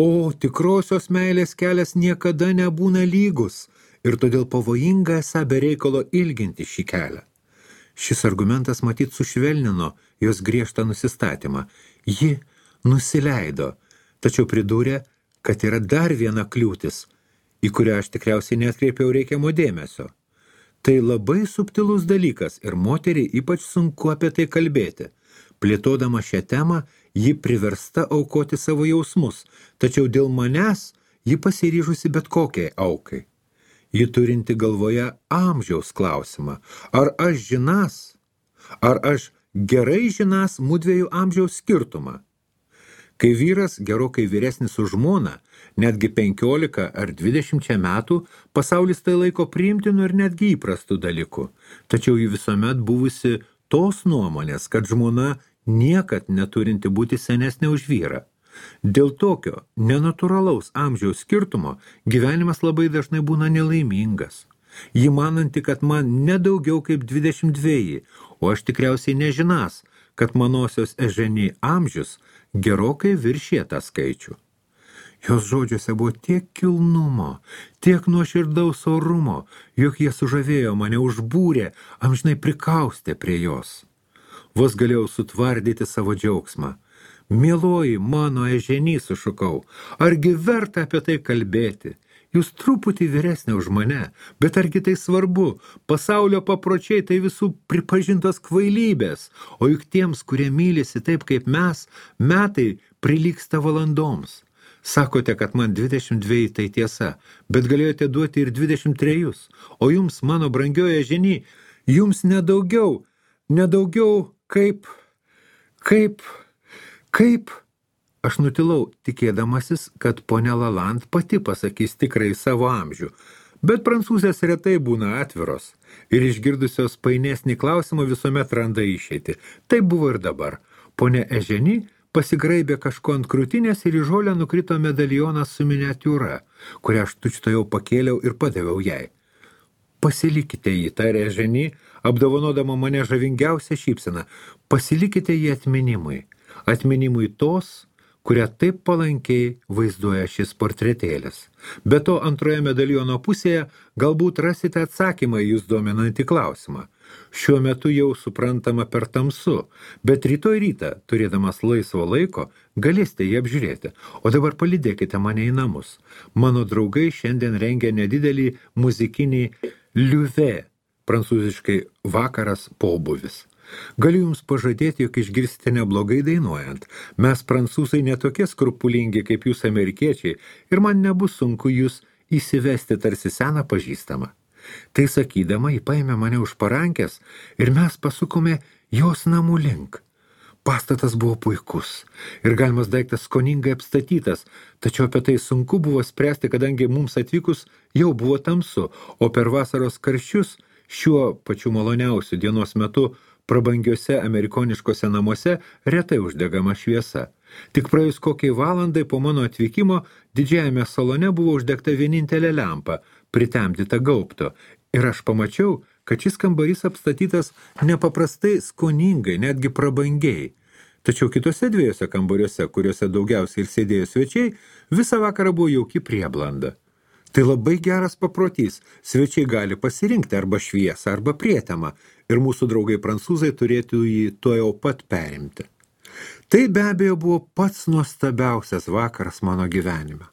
O tikrosios meilės kelias niekada nebūna lygus ir todėl pavojinga esą be reikalo ilginti šį kelią. Šis argumentas matyt sušvelnino jos griežtą nusistatymą. Ji nusileido, tačiau pridūrė, kad yra dar viena kliūtis, į kurią aš tikriausiai neatkreipiau reikiamo dėmesio. Tai labai subtilus dalykas ir moteriai ypač sunku apie tai kalbėti. Plėtodama šią temą, ji priversta aukoti savo jausmus, tačiau dėl manęs ji pasiryžusi bet kokiai aukai. Ji turinti galvoje amžiaus klausimą. Ar aš žinas, ar aš gerai žinas mudviejų amžiaus skirtumą? Kai vyras gerokai vyresnis už žmoną, netgi penkiolika ar dvidešimčia metų, pasaulis tai laiko priimtinu ir netgi įprastų dalykų. Tačiau ji visuomet buvusi tos nuomonės, kad žmona niekad neturinti būti senesnė už vyrą. Dėl tokio nenatūralaus amžiaus skirtumo gyvenimas labai dažnai būna nelaimingas. Ji mananti, kad man nedaugiau kaip dvidešimt dveji, o aš tikriausiai nežinas, kad manosios Eženi amžius gerokai viršė tą skaičių. Jos žodžiuose buvo tiek kilnumo, tiek nuoširdaus orumo, jog jie sužavėjo mane, užbūrė, amžinai prikaustė prie jos. Vos galėjau sutvardyti savo džiaugsmą. Mieloji mano Eženi, sušukau, argi verta apie tai kalbėti? Jūs truputį vyresnė už mane, bet argi tai svarbu? Pasaulio papročiai tai visų pripažintos kvailybės, o juk tiems, kurie mylisi taip kaip mes, metai prilygsta valandoms. Sakote, kad man dvidešimt dveji tai tiesa, bet galėjote duoti ir dvidešimt trejus, o jums, mano brangioji Eženi, jums nedaugiau, nedaugiau kaip, kaip... Kaip? Aš nutilau, tikėdamasis, kad ponia Lalande pati pasakys tikrai savo amžių. Bet prancūzės retai būna atviros ir išgirdusios painesnį klausimą visuomet randa išeitį. Tai buvo ir dabar. Ponia Eženi pasigraibė kažko ant krūtinės ir į žolę nukrito medalionas su miniatiūra, kurią aš tučtojau pakėliau ir padaviau jai. Pasilikite jį, tarė Eženi, apdovanodama mane žavingiausią šypseną. Pasilikite jį atminimui. Atminimui tos, kurią taip palankiai vaizduoja šis portretėlis. Be to, antroje medaliono pusėje galbūt rasite atsakymą į jūs dominantį klausimą. Šiuo metu jau suprantama per tamsu, bet rytoj rytą, turėdamas laisvo laiko, galėsite jį apžiūrėti. O dabar palydėkite mane į namus. Mano draugai šiandien rengia nedidelį muzikinį liuve, prancūziškai vakaras pobūvis. Galiu jums pažadėti, jog išgirsite neblogai dainuojant. Mes prancūzai netokie skrupulingi kaip jūs amerikiečiai ir man nebus sunku jūs įsivesti tarsi seną pažįstamą. Tai sakydama, ji paėmė mane už parankės ir mes pasukome jos namų link. Pastatas buvo puikus ir galimas daiktas skoningai apstatytas, tačiau apie tai sunku buvo spręsti, kadangi mums atvykus jau buvo tamsu, o per vasaros karščius šiuo pačiu maloniausiu dienos metu prabangiuose amerikoniškose namuose retai uždegama šviesa. Tik praėjus kokiai valandai po mano atvykimo didžiajame salone buvo uždegta vienintelė lempa, pritemdyta gaubto, ir aš pamačiau, kad šis kambarys apstatytas nepaprastai skoningai, netgi prabangiai. Tačiau kitose dviejose kambariuose, kuriuose daugiausiai ir sėdėjo svečiai, visą vakarą buvo jauki prieblanda. Tai labai geras paprotys. Svečiai gali pasirinkti arba šviesą, arba prietemą, ir mūsų draugai prancūzai turėtų jį tuojau pat perimti. Tai be abejo buvo pats nuostabiausias vakaras mano gyvenime.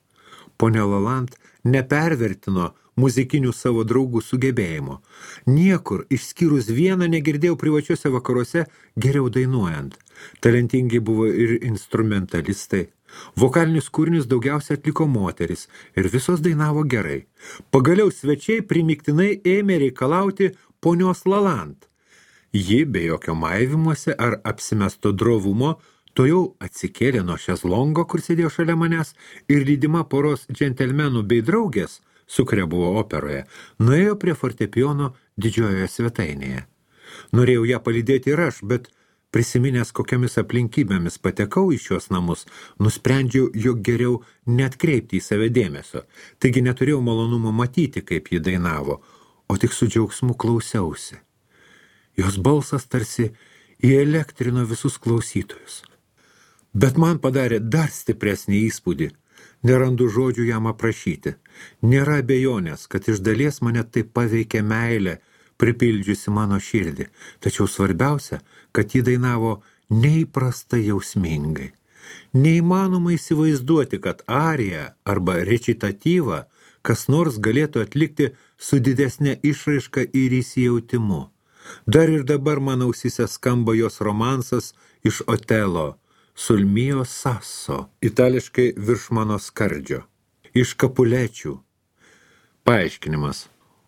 Ponia Lalande nepervertino muzikinių savo draugų sugebėjimo. Niekur, išskyrus vieną, negirdėjau privačiuose vakaruose geriau dainuojant. Talentingi buvo ir instrumentalistai. Vokalinius kūrinius daugiausia atliko moteris ir visos dainavo gerai. Pagaliau svečiai primiktinai ėmė reikalauti ponios Lalande. Ji, be jokio maivimuose ar apsimesto drovumo, to jau atsikėlė nuo šezlongo, kur sėdėjo šalia manęs, ir lydima poros džentelmenų bei draugės, su kuria buvo operoje, nuėjo prie fortepijono didžiojoje svetainėje. Norėjau ją palydėti ir aš, bet prisiminęs kokiamis aplinkybėmis patekau į šios namus, nusprendžiau, jog geriau neatkreipti į save dėmesio. Taigi neturėjau malonumo matyti, kaip ji dainavo, o tik su džiaugsmu klausiausi. Jos balsas tarsi įelektrino visus klausytojus. Bet man padarė dar stipresnį įspūdį. Nerandu žodžių jam aprašyti. Nėra abejonės, kad iš dalies mane taip paveikė meilė, pripildžiusi mano širdį. Tačiau svarbiausia, kad ji dainavo neįprastai jausmingai. Neįmanoma įsivaizduoti, kad ariją arba recitatyvą kas nors galėtų atlikti su didesnė išraiška ir įsijautimu. Dar ir dabar mano ausyse skamba jos romansas iš Otelo, Sul mio sasso, itališkai virš mano skardžio, iš Kapulečių. Paaiškinimas.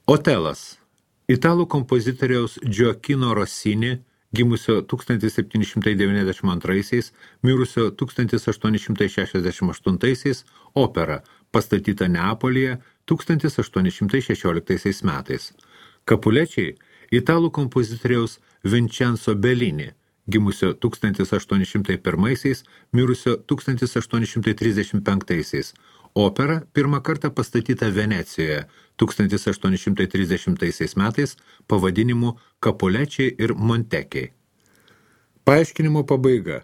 Otelas, italų kompozitoriaus Gioacchino Rossini, gimusio tūkstantis septyni šimtai devyniasdešimt antraisiais, mirusio tūkstantis aštuoni šimtai šešiasdešimt aštuntaisiais, opera, pastatyta Neapolyje tūkstantis aštuoni šimtai šešioliktaisiais metais. Kapulečiai, italų kompozitoriaus Vincenzo Bellini, gimusio tūkstantis aštuoni šimtai pirmaisiais, mirusio tūkstantis aštuoni šimtai trisdešimt penktaisiais. Opera pirmą kartą pastatyta Venecijoje tūkstantis aštuoni šimtai trisdešimtaisiais metais pavadinimu Capulečiai ir Montekiai. Paaiškinimo pabaiga.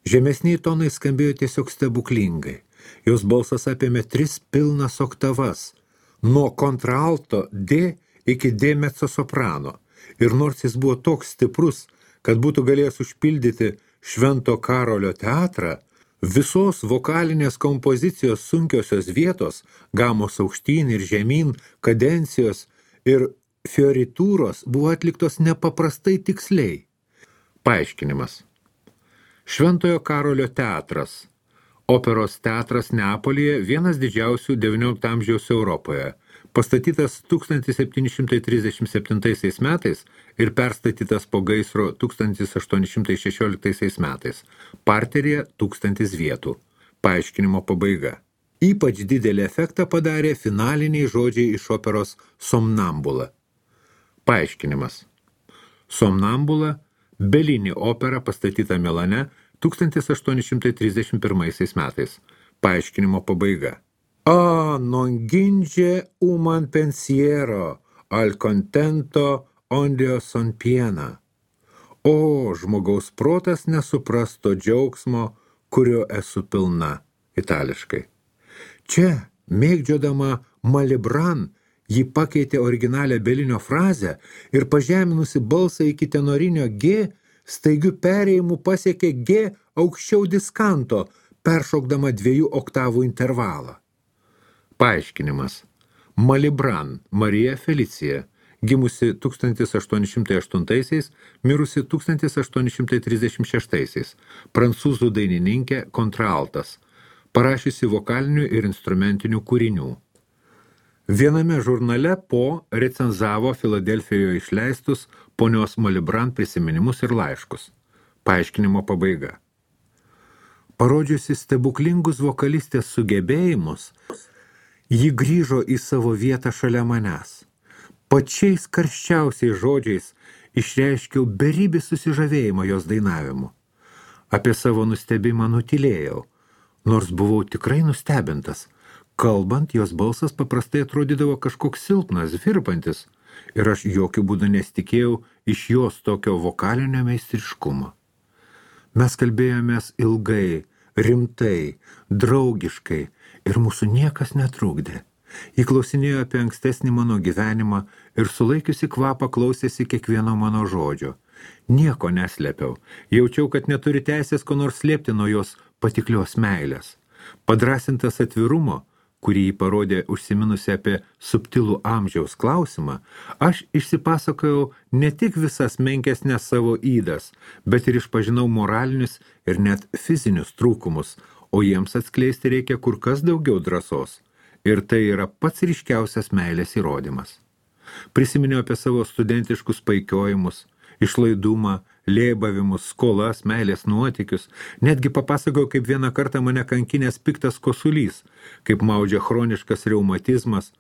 Žemesniai tonai skambėjo tiesiog stebuklingai. Jos balsas apėmė tris pilnas oktavas, nuo kontraalto D iki D mezzosoprano. Ir nors jis buvo toks stiprus, kad būtų galėjęs užpildyti Švento Karolio teatrą, visos vokalinės kompozicijos sunkiosios vietos, gamos aukštyn ir žemyn, kadencijos ir fioritūros buvo atliktos nepaprastai tiksliai. Paaiškinimas. Šventojo Karolio teatras. Operos teatras Neapolyje vienas didžiausių devyniolikto amžiaus Europoje. Pastatytas tūkstantis septyni šimtai trisdešimt septintaisiais metais ir perstatytas po gaisro tūkstantis aštuoni šimtai šešioliktaisiais metais. Parteryje tūkstantis vietų. Paaiškinimo pabaiga. Ypač didelį efektą padarė finaliniai žodžiai iš operos Somnambula. Paaiškinimas. Somnambula – Belini opera pastatyta Milane tūkstantis aštuoni šimtai trisdešimt pirmaisiais metais. Paaiškinimo pabaiga. A non ginge uman pensiero, al contento ondio son piena. O žmogaus protas nesupras to džiaugsmo, kurio esu pilna. Itališkai. Čia, mėgdžiodama Malibran, ji pakeitė originalią Belinio frazę ir pažeminusi balsą iki tenorinio G, staigių perėjimų pasiekė G aukščiau diskanto, peršokdama dviejų oktavų intervalą. Paaiškinimas. Malibran Marija Felicija, gimusi tūkstantis aštuoni šimtai aštuntaisiais, mirusi tūkstantis aštuoni šimtai trisdešimt šeštaisiais, prancūzų dainininkė kontraaltas, parašiusi vokalinių ir instrumentinių kūrinių. Viename žurnale Po recenzavo Filadelfijoje išleistus ponios Malibran prisiminimus ir laiškus. Paaiškinimo pabaiga. Parodžiusi stebuklingus vokalistės sugebėjimus, ji grįžo į savo vietą šalia manęs. Pačiais karščiausiais žodžiais išreiškiau beribį susižavėjimą jos dainavimu. Apie savo nustebimą nutylėjau, nors buvau tikrai nustebintas. Kalbant, jos balsas paprastai atrodydavo kažkoks silpnas, virpantis, ir aš jokių būdų nesitikėjau iš jos tokio vokalinio meistriškumo. Mes kalbėjomės ilgai, rimtai, draugiškai ir mūsų niekas netrukdė. Ji klausinėjo apie ankstesnį mano gyvenimą ir sulaikiusi kvapą klausėsi kiekvieno mano žodžio. Nieko neslėpiau, jaučiau, kad neturi teisės ko nors slėpti nuo jos patiklios meilės. Padrasintas atvirumo, kurį jį parodė užsiminusi apie subtilų amžiaus klausimą, aš išsipasakojau ne tik visas menkesnes savo ydas, bet ir išpažinau moralinius ir net fizinius trūkumus, o jiems atskleisti reikia kur kas daugiau drąsos. Ir tai yra pats ryškiausias meilės įrodymas. Prisiminiau apie savo studentiškus paikiojimus, išlaidumą, lėbavimus, skolas, meilės nuotykius. Netgi papasakojau, kaip vieną kartą mane kankinęs piktas kosulys, kaip maudžia chroniškas reumatizmas.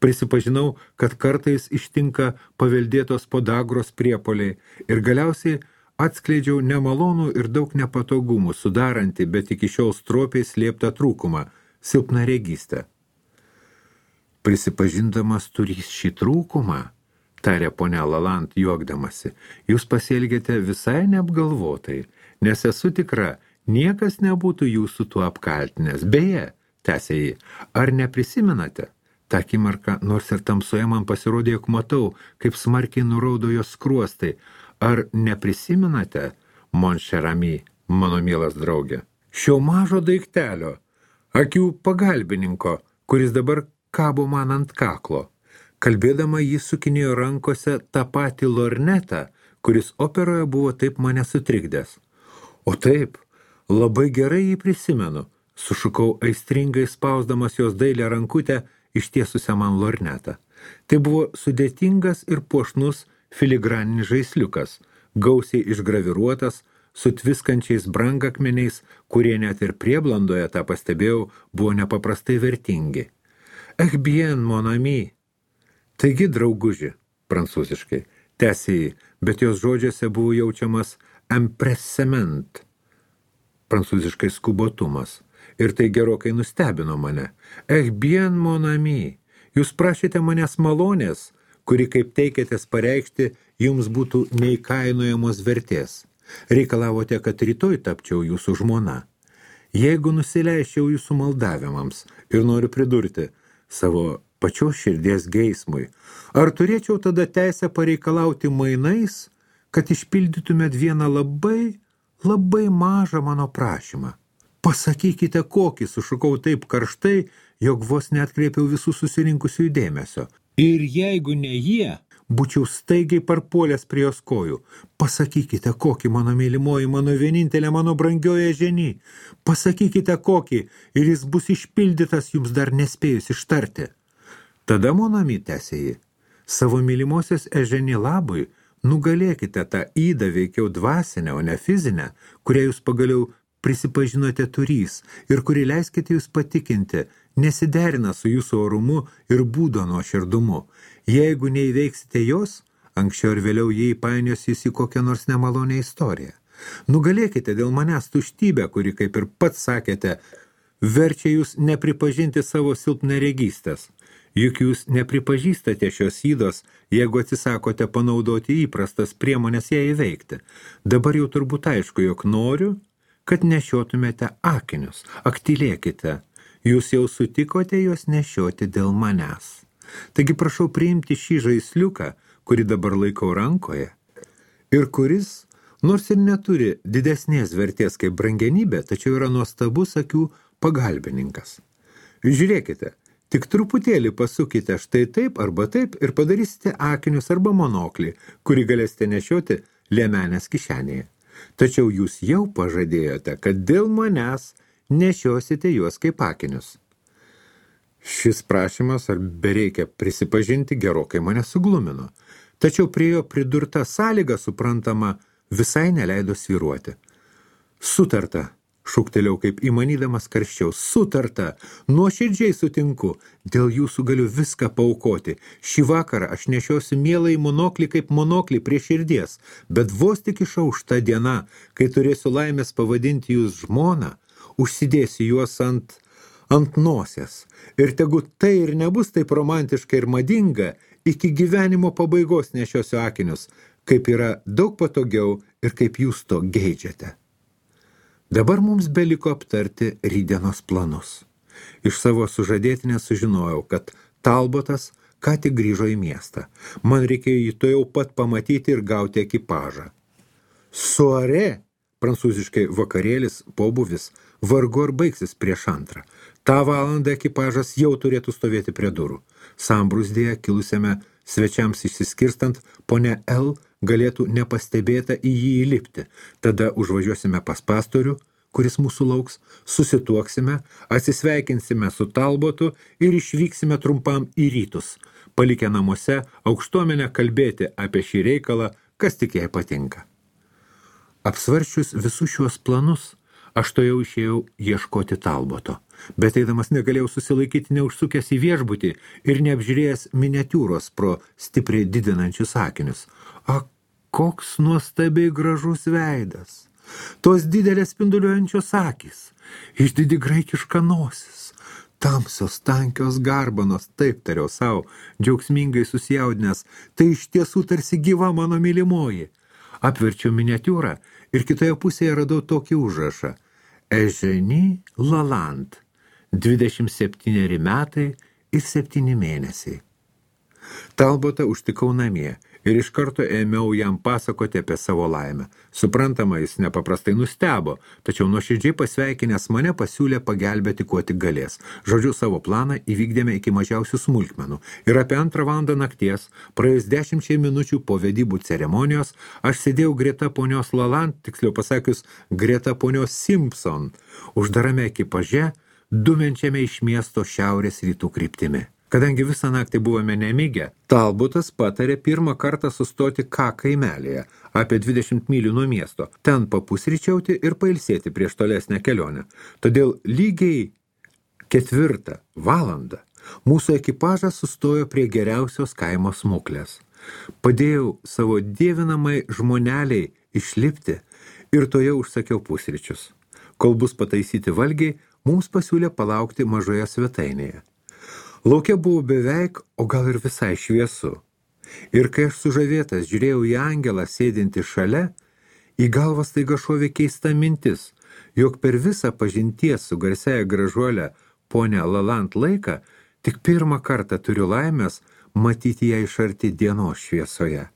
Prisipažinau, kad kartais ištinka paveldėtos podagros priepoliai ir galiausiai atskleidžiau nemalonų ir daug nepatogumų sudarantį, bet iki šiol stropiai slėptą trūkumą – silpnaregystę. Prisipažindamas turys šį trūkumą, tarė ponia Laland juokdamasi, jūs pasielgėte visai neapgalvotai, nes esu tikra, niekas nebūtų jūsų tuo apkaltinęs. Beje, tęsė jį, ar neprisimenate? Ta akimirka, nors ir tamsoje man pasirodė, jog matau, kaip smarkiai nuraudo jos skruostai. Ar neprisimenate, mon cher ami, mano mielas draugė, šio mažo daiktelio, akių pagalbininko, kuris dabar kabo man ant kaklo. Kalbėdama jis sukinėjo rankose tą patį lornetą, kuris operoje buvo taip mane sutrikdęs. O taip, labai gerai jį prisimenu, sušukau aistringai spausdamas jos dailę rankutę ištiesusią man lornetą. Tai buvo sudėtingas ir puošnus filigraninis žaisliukas, gausiai išgraviruotas, su tviskančiais brangakmeniais, kurie net ir prieblandoje, tą pastebėjau, buvo nepaprastai vertingi. Eh bien, mon ami. Taigi, drauguži, prancūziškai, tęsė jį, bet jos žodžiuose buvo jaučiamas empressement, prancūziškai skubotumas, ir tai gerokai nustebino mane. Eh bien, mon ami, jūs prašėte manęs malonės, kuri, kaip teikėtės pareikšti, jums būtų neįkainojamos vertės. Reikalavote, kad rytoj tapčiau jūsų žmona. Jeigu nusileiščiau jūsų maldavimams ir noriu pridurti savo pačios širdies geismui, ar turėčiau tada teisę pareikalauti mainais, kad išpildytumėt vieną labai, labai mažą mano prašymą? Pasakykite kokį, sušukau taip karštai, jog vos neatkreipiau visų susirinkusių dėmesio. Ir jeigu ne jie, būčiau staigiai parpuolęs prie jos kojų. Pasakykite kokį, mano mylimoji, mano vienintelė, mano brangioje ženy. Pasakykite kokį, ir jis bus išpildytas jums dar nespėjus ištarti. Tada, monami, tęsė jį, savo mylimosios Eženi labui nugalėkite tą įdą veikiau dvasinę, o ne fizinę, kurią jūs pagaliau prisipažinote turys ir kuri, leiskite jūs patikinti, nesiderina su jūsų orumu ir būdo nuoširdumu. Jeigu neįveiksite jos, anksčiau ir vėliau jį įpainios jūs į kokią nors nemalonę istoriją. Nugalėkite dėl manęs tuštybę, kuri, kaip ir pats sakėte, verčia jūs nepripažinti savo silpnaregystės. Juk jūs nepripažįstate šios ydos, jeigu atsisakote panaudoti įprastas priemonės ją įveikti. Dabar jau turbūt aišku, jog noriu, kad nešiotumėte akinius. Aktilėkite, jūs jau sutikote juos nešioti dėl manęs. Taigi prašau priimti šį žaisliuką, kurį dabar laikau rankoje, ir kuris, nors ir neturi didesnės vertės kaip brangenybė, tačiau yra nuostabus akių pagalbininkas. Žiūrėkite, tik truputėlį pasukite štai taip arba taip ir padarysite akinius arba monoklį, kurį galėsite nešioti liemenės kišenėje. Tačiau jūs jau pažadėjote, kad dėl manęs nešiosite juos kaip akinius. Šis prašymas, ar bereikia prisipažinti, gerokai mane suglumino. Tačiau prie jo pridurta sąlyga, suprantama, visai neleido svyruoti. Sutarta, šūktelėjau kaip įmanydamas karščiau, sutarta, nuoširdžiai sutinku, dėl jūsų galiu viską paaukoti. Šį vakarą aš nešiosiu mielai monoklį kaip monoklį prie širdies, bet vos tik išauš ta diena, kai turėsiu laimės pavadinti jūs žmoną, užsidėsiu juos ant, ant nosies. Ir tegu tai ir nebus taip romantiška ir madinga, iki gyvenimo pabaigos nešiosiu akinius, kaip yra daug patogiau ir kaip jūs to geidžiate. Dabar mums beliko aptarti rytdienos planus. Iš savo sužadėtinės sužinojau, kad Talbotas ką tik grįžo į miestą. Man reikėjo jį to jau pat pamatyti ir gauti ekipažą. Soare, prancūziškai vakarėlis, pobūvis, vargu ar baigsis prieš antrą. Ta valandą ekipažas jau turėtų stovėti prie durų. Sambrūzdėje kilusiame svečiams išsiskirstant, ponia L galėtų nepastebėta į jį įlipti. Tada užvažiuosime pas pastorių, kuris mūsų lauks, susituoksime, atsisveikinsime su Talbotu ir išvyksime trumpam į rytus, palikę namuose aukštuomenę kalbėti apie šį reikalą, kas tik jai patinka. Apsvarčius visus šiuos planus, aš to jau išėjau ieškoti Talboto, bet eidamas negalėjau susilaikyti neužsukęs į viešbutį ir neapžiūrėjęs miniatiūros pro stipriai didinančius akinius. A, koks nuostabiai gražus veidas! Tos didelės spinduliuojančios akys, išdidi graikiška nosis, tamsios tankios garbanos, taip tariau savo, džiaugsmingai susijaudinęs, tai iš tiesų tarsi gyva mano mylimoji. Apverčiau miniatiūrą ir kitoje pusėje radau tokį užrašą. Eugenie Lalande, dvidešimt septyneri metai ir septyni mėnesiai. Talbotą užtikau namie ir iš karto ėmiau jam pasakoti apie savo laimę. Suprantama, jis nepaprastai nustebo, tačiau nuoširdžiai pasveikinęs mane pasiūlė pagelbėti, kuo tik galės. Žodžiu, savo planą įvykdėme iki mažiausių smulkmenų. Ir apie antrą valandą nakties, praėjus dešimčiai minučių po vedybų ceremonijos, aš sėdėjau greta ponios Lalande, tiksliau pasakius, greta ponios Simpson, uždarame ekipaže, dumenčiame iš miesto šiaurės rytų kryptimi. Kadangi visą naktį buvome nemigę, Talbotas patarė pirmą kartą sustoti K kaimelėje, apie dvidešimt mylių nuo miesto, ten papusryčiauti ir pailsėti prieš tolesnę kelionę. Todėl lygiai ketvirtą valandą mūsų ekipažas sustojo prie geriausios kaimo smuklės. Padėjau savo dievinamai žmoneliai išlipti ir toje užsakiau pusryčius. Kol bus pataisyti valgiai, mums pasiūlė palaukti mažoje svetainėje. Lauke buvo beveik, o gal ir visai šviesu. Ir kai aš sužavėtas žiūrėjau į angelą sėdintį šalia, į galvą staiga šovė keista mintis, jog per visą pažinties su garsiaja gražuolė ponia Lalande laiką tik pirmą kartą turiu laimės matyti ją iš arti dienos šviesoje.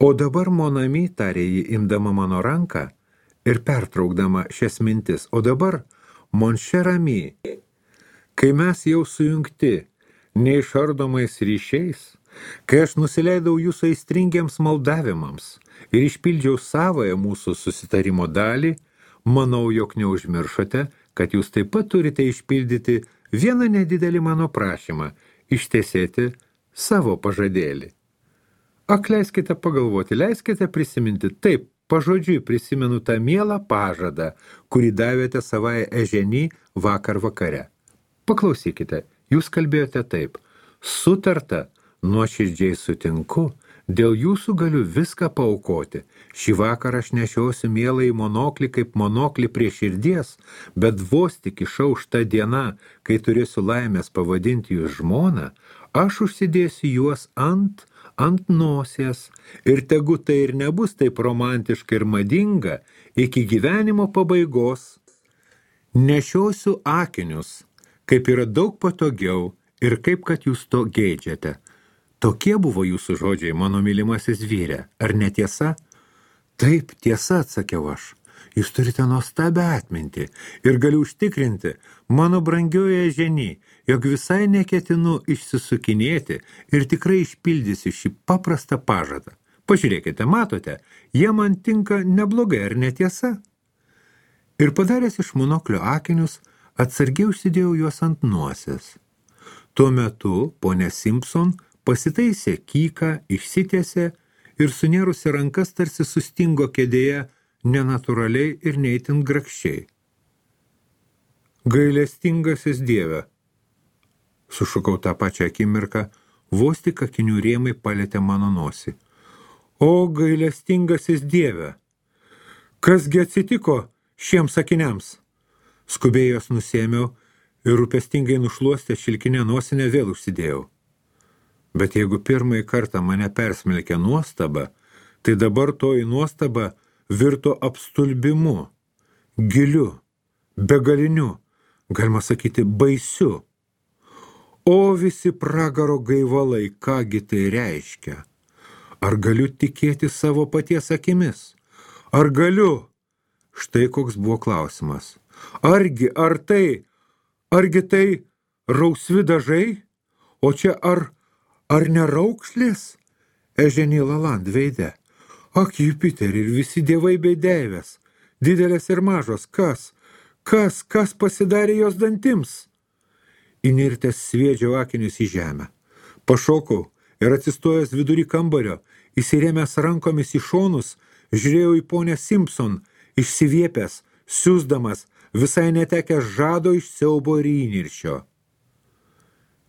O dabar monami, tarė ji imdama mano ranką ir pertraukdama šias mintis, o dabar mon cher ami, kai mes jau sujungti neišardomais ryšiais, kai aš nusileidau jūsų aistringiems maldavimams ir išpildžiau savąją mūsų susitarimo dalį, manau, jog neužmiršote, kad jūs taip pat turite išpildyti vieną nedidelį mano prašymą – ištesėti savo pažadėlį. Ak, leiskite pagalvoti, leiskite prisiminti, taip, pažodžiui prisimenu tą mielą pažadą, kurį davėte savai Eženį vakar vakare. Paklausykite, jūs kalbėjote taip. Sutarta, nuoširdžiai sutinku, dėl jūsų galiu viską paaukoti. Šį vakarą aš nešiosiu mielą į monoklį kaip monoklį prie širdies, bet vos tik išauš ta diena, kai turėsiu laimės pavadinti jūs žmoną, aš užsidėsiu juos ant, ant nosies ir tegu tai ir nebus taip romantiška ir madinga iki gyvenimo pabaigos. Nešiosiu akinius, kaip yra daug patogiau ir kaip kad jūs to geidžiate. Tokie buvo jūsų žodžiai, mano mylimasis vyre, ar netiesa? Taip, tiesa, atsakiau aš. Jūs turite nuostabią atmintį ir galiu užtikrinti, mano brangioje Eženį, jog visai neketinu išsisukinėti ir tikrai išpildysiu šį paprastą pažadą. Pažiūrėkite, matote, jie man tinka neblogai, ar netiesa? Ir padaręs iš monoklio akinius, atsargiai užsidėjau juos ant nosies. Tuo metu ponia Simpson pasitaisė kyką, išsitiesė ir sunėrusi rankas tarsi sustingo kėdėje nenatūraliai ir neįtin grakščiai. Gailestingasis Dieve, sušukau tą pačią akimirką, vos tik akinių rėmai palietė mano nosį. O gailestingasis Dieve, kasgi atsitiko šiems akiniams? Skubiai jos nusėmiau ir rūpestingai nušluostę šilkinę nosinę vėl užsidėjau. Bet jeigu pirmąjį kartą mane persmelkė nuostaba, tai dabar toji nuostaba virto apstulbimu, giliu, begaliniu, galima sakyti, baisiu. O visi pragaro gaivalai, kągi tai reiškia? Ar galiu tikėti savo paties akimis? Ar galiu? Štai koks buvo klausimas. Argi, ar tai, argi tai rausvi dažai? O čia ar, ar neraukšlės? Eženį Laland veide. Ak, Jupiterį ir visi dievai bei deivės, didelės ir mažos, kas, kas, kas pasidarė jos dantims? Įnirtęs sviedžiau akinius į žemę. Pašokau ir atsistojęs vidury kambario, įsirėmęs rankomis į šonus, žiūrėjau į ponę Simpson, išsiviepęs, siūsdamas, visai netekęs žado iš siaubo ir įniršio.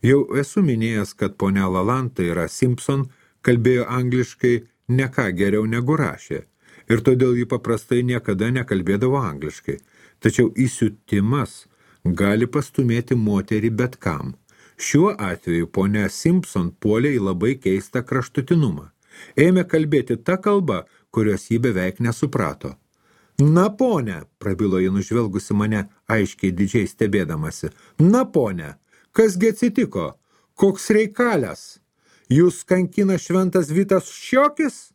Jau esu minėjęs, kad ponia Laland, tai yra Simpson, kalbėjo angliškai ne ką geriau negu rašė, ir todėl ji paprastai niekada nekalbėdavo angliškai. Tačiau įsiutimas gali pastumėti moterį bet kam. Šiuo atveju ponia Simpson puolė į labai keistą kraštutinumą. Ėmė kalbėti tą kalbą, kurios ji beveik nesuprato. Na, ponia, prabilo ji nužvelgusi mane aiškiai didžiai stebėdamasi. Na, ponia, kasgi atsitiko? Koks reikalas? Jūs kankina šventas Vitas Šiokis?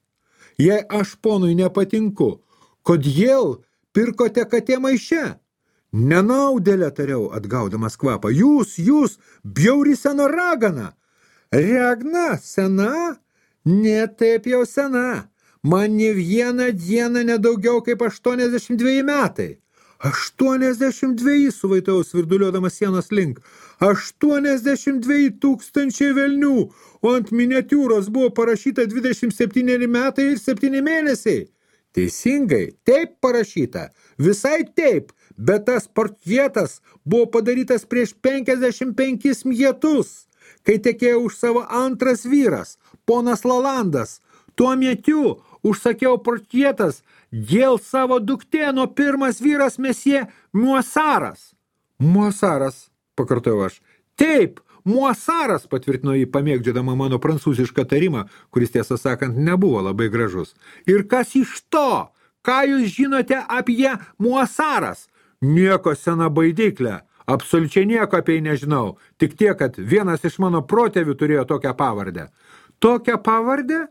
Jei aš ponui nepatinku, kodėl pirkote katė maiše? Nenaudėlė, tariau, atgaudamas kvapą. Jūs, jūs, bjauri sena ragana. Regna sena? Ne taip jau sena. Man ne vieną dieną nedaugiau kaip aštuoniasdešimt dveji metai. aštuoniasdešimt dveji, suvaitau svirduliuodamas sienos link. aštuoniasdešimt dveji tūkstančiai velnių, o ant miniatiūros buvo parašyta dvidešimt septyneri metai ir septyni mėnesiai. Teisingai, taip parašyta, visai taip, bet tas portretas buvo padarytas prieš penkiasdešimt penkis metus, kai tekėjo už savo antras vyras, ponas Lalandas. Tuo metu užsakiau portretas dėl savo duktėno pirmas vyras mesie Muasaras. Muasaras, pakartojau aš. Taip, Muasaras, patvirtino jį pamėgdžiodama mano prancūzišką tarimą, kuris tiesą sakant nebuvo labai gražus. Ir kas iš to? Ką jūs žinote apie Muasaras? Nieko, sena baidyklė. Absoliučiai nieko apie jį nežinau. Tik tiek, kad vienas iš mano protėvių turėjo tokią pavardę. Tokią pavardę?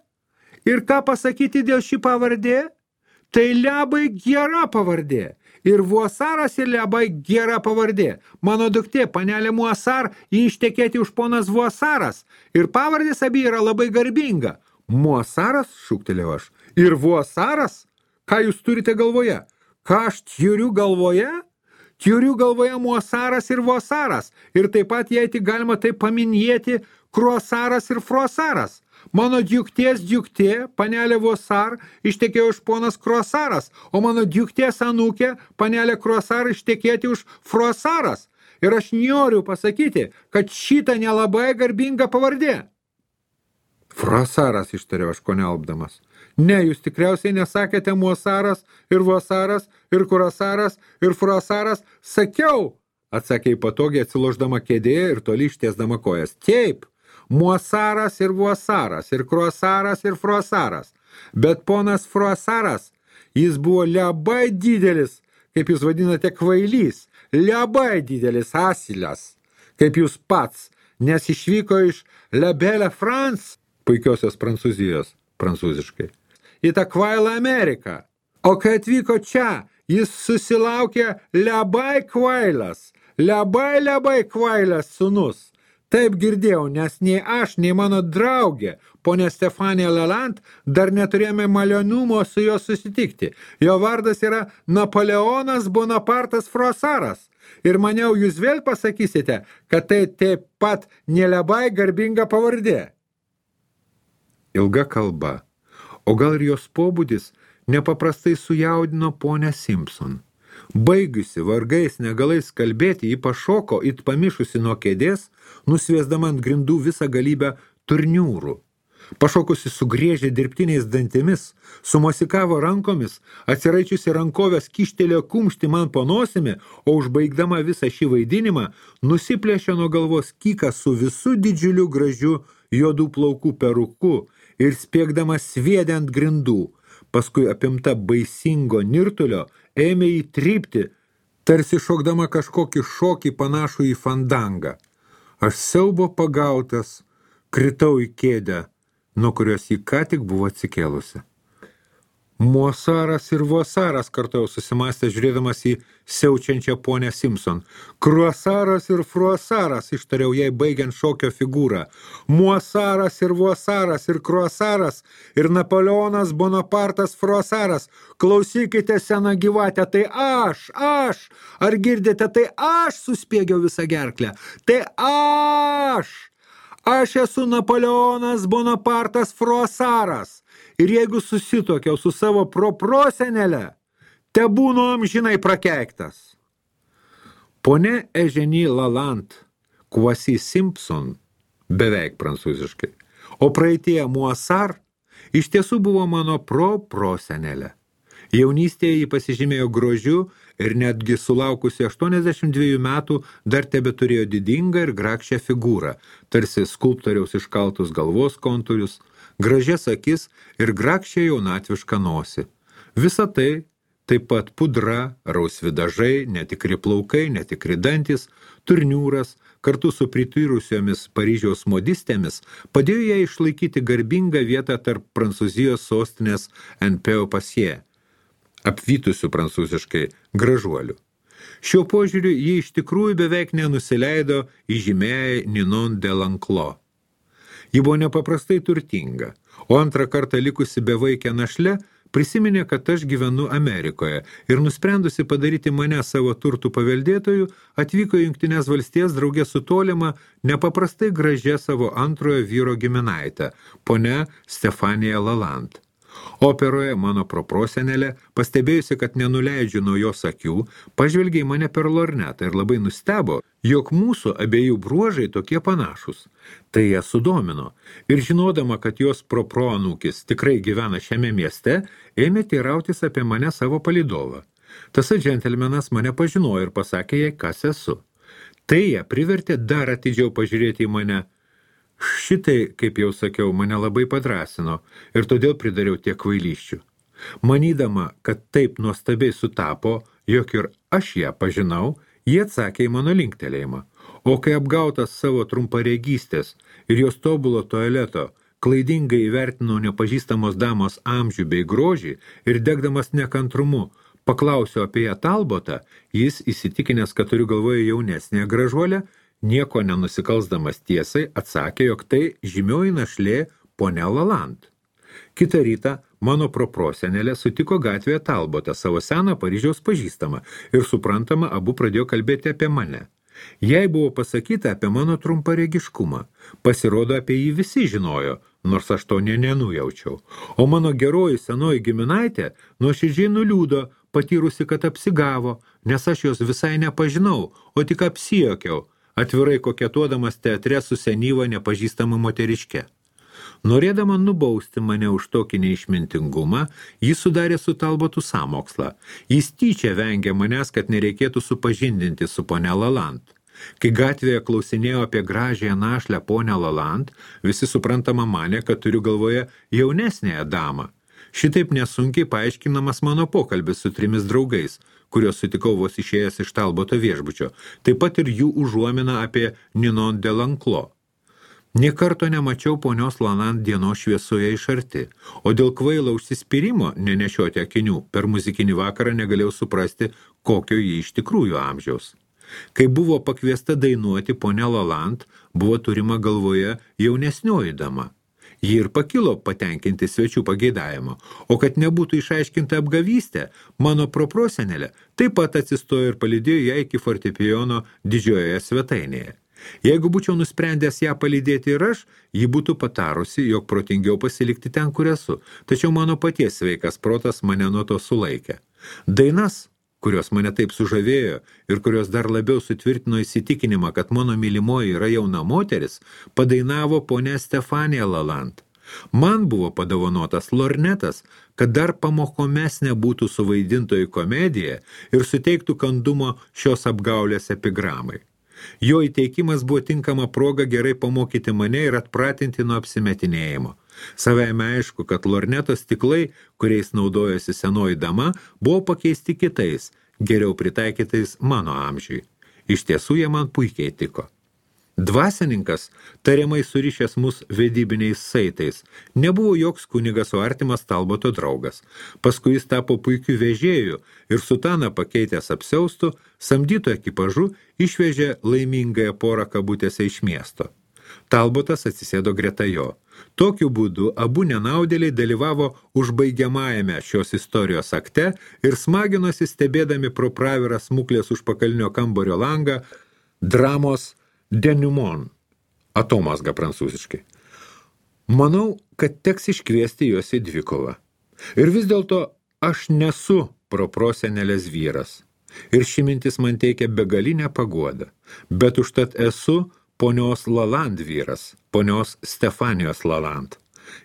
Ir ką pasakyti dėl šį pavardė? Tai labai gera pavardė. Ir Vuosaras ir labai gera pavardė. Mano duktė, panelė Muasar, jį ištekėti už ponas Vuosaras. Ir pavardės abi yra labai garbinga. Muasaras, šūktelėjau aš. Ir Vuosaras? Ką jūs turite galvoje? Ką aš turiu galvoje? Turiu galvoje Muosaras ir Vosaras, ir taip pat, jei tik galima taip paminėti, Kruosaras ir Frosaras. Mano diukties diuktė, panelė Vosar, ištekėjo už ponas Kruosaras, o mano diukties anūkė, panelė Kruosar, ištekėti už Frosaras. Ir aš noriu pasakyti, kad šita nelabai garbinga pavardė. Frosaras, ištariau aš konelbdamas. Ne, jūs tikriausiai nesakėte Muosaras ir Vosaras ir Kruosaras ir Frosaras. Sakiau, atsakė patogiai atsiloždama kėdėje ir toli ištiesdama kojas. Taip, Muosaras ir Vosaras ir Kruosaras ir Frosaras. Bet ponas Frosaras, jis buvo labai didelis, kaip jūs vadinate kvailys, labai didelis asilas, kaip jūs pats, nes išvyko iš La Belle France, puikiosios Prancūzijos, prancūziškai, į tą kvailą Ameriką. O kai atvyko čia, jis susilaukė labai kvailas, labai labai kvailas sūnus. Taip girdėjau, nes nei aš, nei mano draugė, ponė Stefanija Lalande, dar neturėjome malionumo su juo susitikti. Jo vardas yra Napoleonas Bonapartas Frosaras. Ir maniau, jūs vėl pasakysite, kad tai taip pat nelabai garbinga pavardė. Ilga kalba, o gal ir jos pobūdis nepaprastai sujaudino ponę Simpson. Baigusi vargais negalais kalbėti, ji pašoko it pamišusi nuo kėdės, nusviesdama ant grindų visą galybę turniūrų. Pašokusi sugriežė dirbtiniais dantimis, sumosikavo rankomis, atsiraičiusi rankovės kištelėjo kumštį man po nosimi, o užbaigdama visą šį vaidinimą, nusiplėšė nuo galvos kyką su visu didžiuliu gražiu juodų plaukų peruku ir spiegdama sviedė ant grindų. Paskui apimta baisingo nirtulio ėmė jį trypti, tarsi šokdama kažkokį šokį panašų į fandangą. Aš siaubo pagautas, kritau į kėdę, nuo kurios jį ką tik buvo atsikėlusi. Muosaras ir Vosaras, kartojau susimąstė, žiūrėdamas į siaučiančią ponę Simpson. Kruosaras ir Frosaras, ištariau jai baigiant šokio figūrą. Muosaras ir Vosaras ir Kruosaras ir Napoleonas Bonapartas Frosaras. Klausykite, sena gyvatė, tai aš, aš, ar girdite, tai aš suspiegiau visą gerklę. Tai aš, aš esu Napoleonas Bonapartas Frosaras. Ir jeigu susitokiau su savo proprosenelė, te būnu amžinai prakeiktas. Ponė Eugenie Lalande, Kwasi Simpson, beveik prancūziškai, o praeitie Muosar, iš tiesų buvo mano proprosenelė. Jaunystėje jį pasižymėjo grožiu ir netgi sulaukusi aštuoniasdešimt dviejų metų dar tebe turėjo didingą ir grakščią figūrą, tarsi skulptoriaus iškaltus galvos kontūrius, gražias akis ir grakščią jaunatvišką nosį. Visa tai, taip pat pudra, rausvi dažai, netikri plaukai, netikri dantis, turniūras, kartu su prityrusiomis Paryžiaus modistėmis, padėjo jai išlaikyti garbingą vietą tarp Prancūzijos sostinės en Peu-Pasie, apvytusių prancūziškai gražuolių. Šiuo požiūriu ji iš tikrųjų beveik nenusileido įžymėjai Ninon de L'Enclos. Ji buvo nepaprastai turtinga, o antrą kartą likusi bevaikę našle prisiminė, kad aš gyvenu Amerikoje ir nusprendusi padaryti mane savo turtų paveldėtojų, atvyko į Jungtines valstijas drauge su tolima nepaprastai gražia savo antrojo vyro giminaitė, ponia Stefanija Lalande. Operoje mano proprosenelė, pastebėjusi, kad nenuleidžiu nuo jos akių, pažvelgė į mane per lornetą ir labai nustebo, jog mūsų abiejų bruožai tokie panašus. Tai ją sudomino ir žinodama, kad jos proproanūkis tikrai gyvena šiame mieste, ėmė teirautis apie mane savo palydovą. Tasai džentelmenas mane pažinojo ir pasakė jai, kas esu. Tai ją privertė dar atidžiau pažiūrėti į mane. Šitai, kaip jau sakiau, mane labai padrasino ir todėl pridariau tiek kvailysčių. Manydama, kad taip nuostabiai sutapo, jog ir aš ją pažinau, jie atsakė į mano linktelėjimą. O kai apgautas savo trumparegystės ir jos tobulo tualeto, klaidingai įvertinau nepažįstamos damos amžių bei grožį ir degdamas nekantrumu, paklausiau apie ją Talbotą, jis įsitikinęs, kad turiu galvoje jaunesnę gražuolę, nieko nenusikalsdamas tiesai, atsakė, jog tai žymioji našlė ponia Lalande. Kitą rytą mano proprosenelė sutiko gatvėje Talbotą, savo seną Paryžiaus pažįstamą, ir suprantama, abu pradėjo kalbėti apie mane. Jai buvo pasakyta apie mano trumparegiškumą. Pasirodo, apie jį visi žinojo, nors aš to nė nenujaučiau. O mano geroji senoji giminaitė nuoširdžiai nuliūdo, patyrusi, kad apsigavo, nes aš jos visai nepažinau, o tik apsijokiau, atvirai koketuodamas teatre su senyva nepažįstama moteriške. Norėdama nubausti mane už tokį neišmintingumą, jis sudarė su Talbotu sąmokslą. Jis tyčia vengė manęs, kad nereikėtų supažindinti su ponia Lalande. Kai gatvėje klausinėjo apie gražiąją našlę ponę Lalande, visi suprantama manė, kad turiu galvoje jaunesnėją damą. Šitaip nesunkiai paaiškinamas mano pokalbis su trimis draugais, kurios sutikau vos išėjęs iš Talboto viešbučio, taip pat ir jų užuomina apie Ninon de Lanclos. Nė karto nemačiau ponios Lalande dienos šviesoje iš arti, o dėl kvailo užsispyrimo nenešioti akinių per muzikinį vakarą negalėjau suprasti, kokio jį iš tikrųjų amžiaus. Kai buvo pakviesta dainuoti ponia Lalande, buvo turima galvoje jaunesnioji dama. Ji ir pakilo patenkinti svečių pageidavimo, o kad nebūtų išaiškinta apgavystė, mano proprosenelė taip pat atsistojo ir palydėjo ją iki fortepijono didžiojoje svetainėje. Jeigu būčiau nusprendęs ją palydėti ir aš, ji būtų patarusi, jog protingiau pasilikti ten, kur esu, tačiau mano paties sveikas protas mane nuo to sulaikė. Dainas, kurios mane taip sužavėjo ir kurios dar labiau sutvirtino įsitikinimą, kad mano mylimoji yra jauna moteris, padainavo ponia Stefanija Lalande. Man buvo padovanotas lornetas, kad dar pamokomesnė būtų suvaidintoji komedija ir suteiktų kandumo šios apgaulės epigramai. Jo įteikimas buvo tinkama proga gerai pamokyti mane ir atpratinti nuo apsimetinėjimo. Savaime aišku, kad lornetos stiklai, kuriais naudojosi senoji dama, buvo pakeisti kitais, geriau pritaikytais mano amžiui. Iš tiesų jie man puikiai tiko. Dvasininkas, tariamai surišęs mus vedybiniais saitais, nebuvo joks kunigas, o artimas Talboto draugas. Paskui jis tapo puikiu vežėju ir sutaną pakeitęs apsiaustų, samdyto ekipažu išvežė laimingąją porą kabutėse iš miesto. Talbotas atsisėdo greta jo. Tokiu būdu abu nenaudėliai dalyvavo užbaigiamajame šios istorijos akte ir smaginosi stebėdami pro pravirą smuklės užpakalinio kambario langą dramos denouement, atomazga prancūziškai. Manau, kad teks iškviesti juos į dvikovą. Ir vis dėlto aš nesu proprosenelės vyras. Ir ši mintis man teikia begalinę paguodą. Bet užtat esu ponios Lalande vyras, ponios Stefanijos Lalande.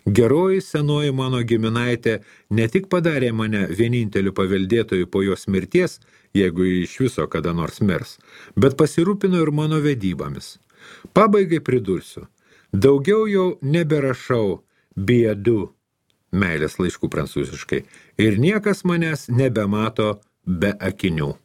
Geroji senoji mano giminaitė ne tik padarė mane vieninteliu paveldėtoju po jos mirties, jeigu iš viso kada nors mirs, bet pasirūpino ir mano vedybomis. Pabaigai pridursiu, daugiau jau neberašau biedu, meilės laiškų prancūziškai, ir niekas manęs nebemato be akinių.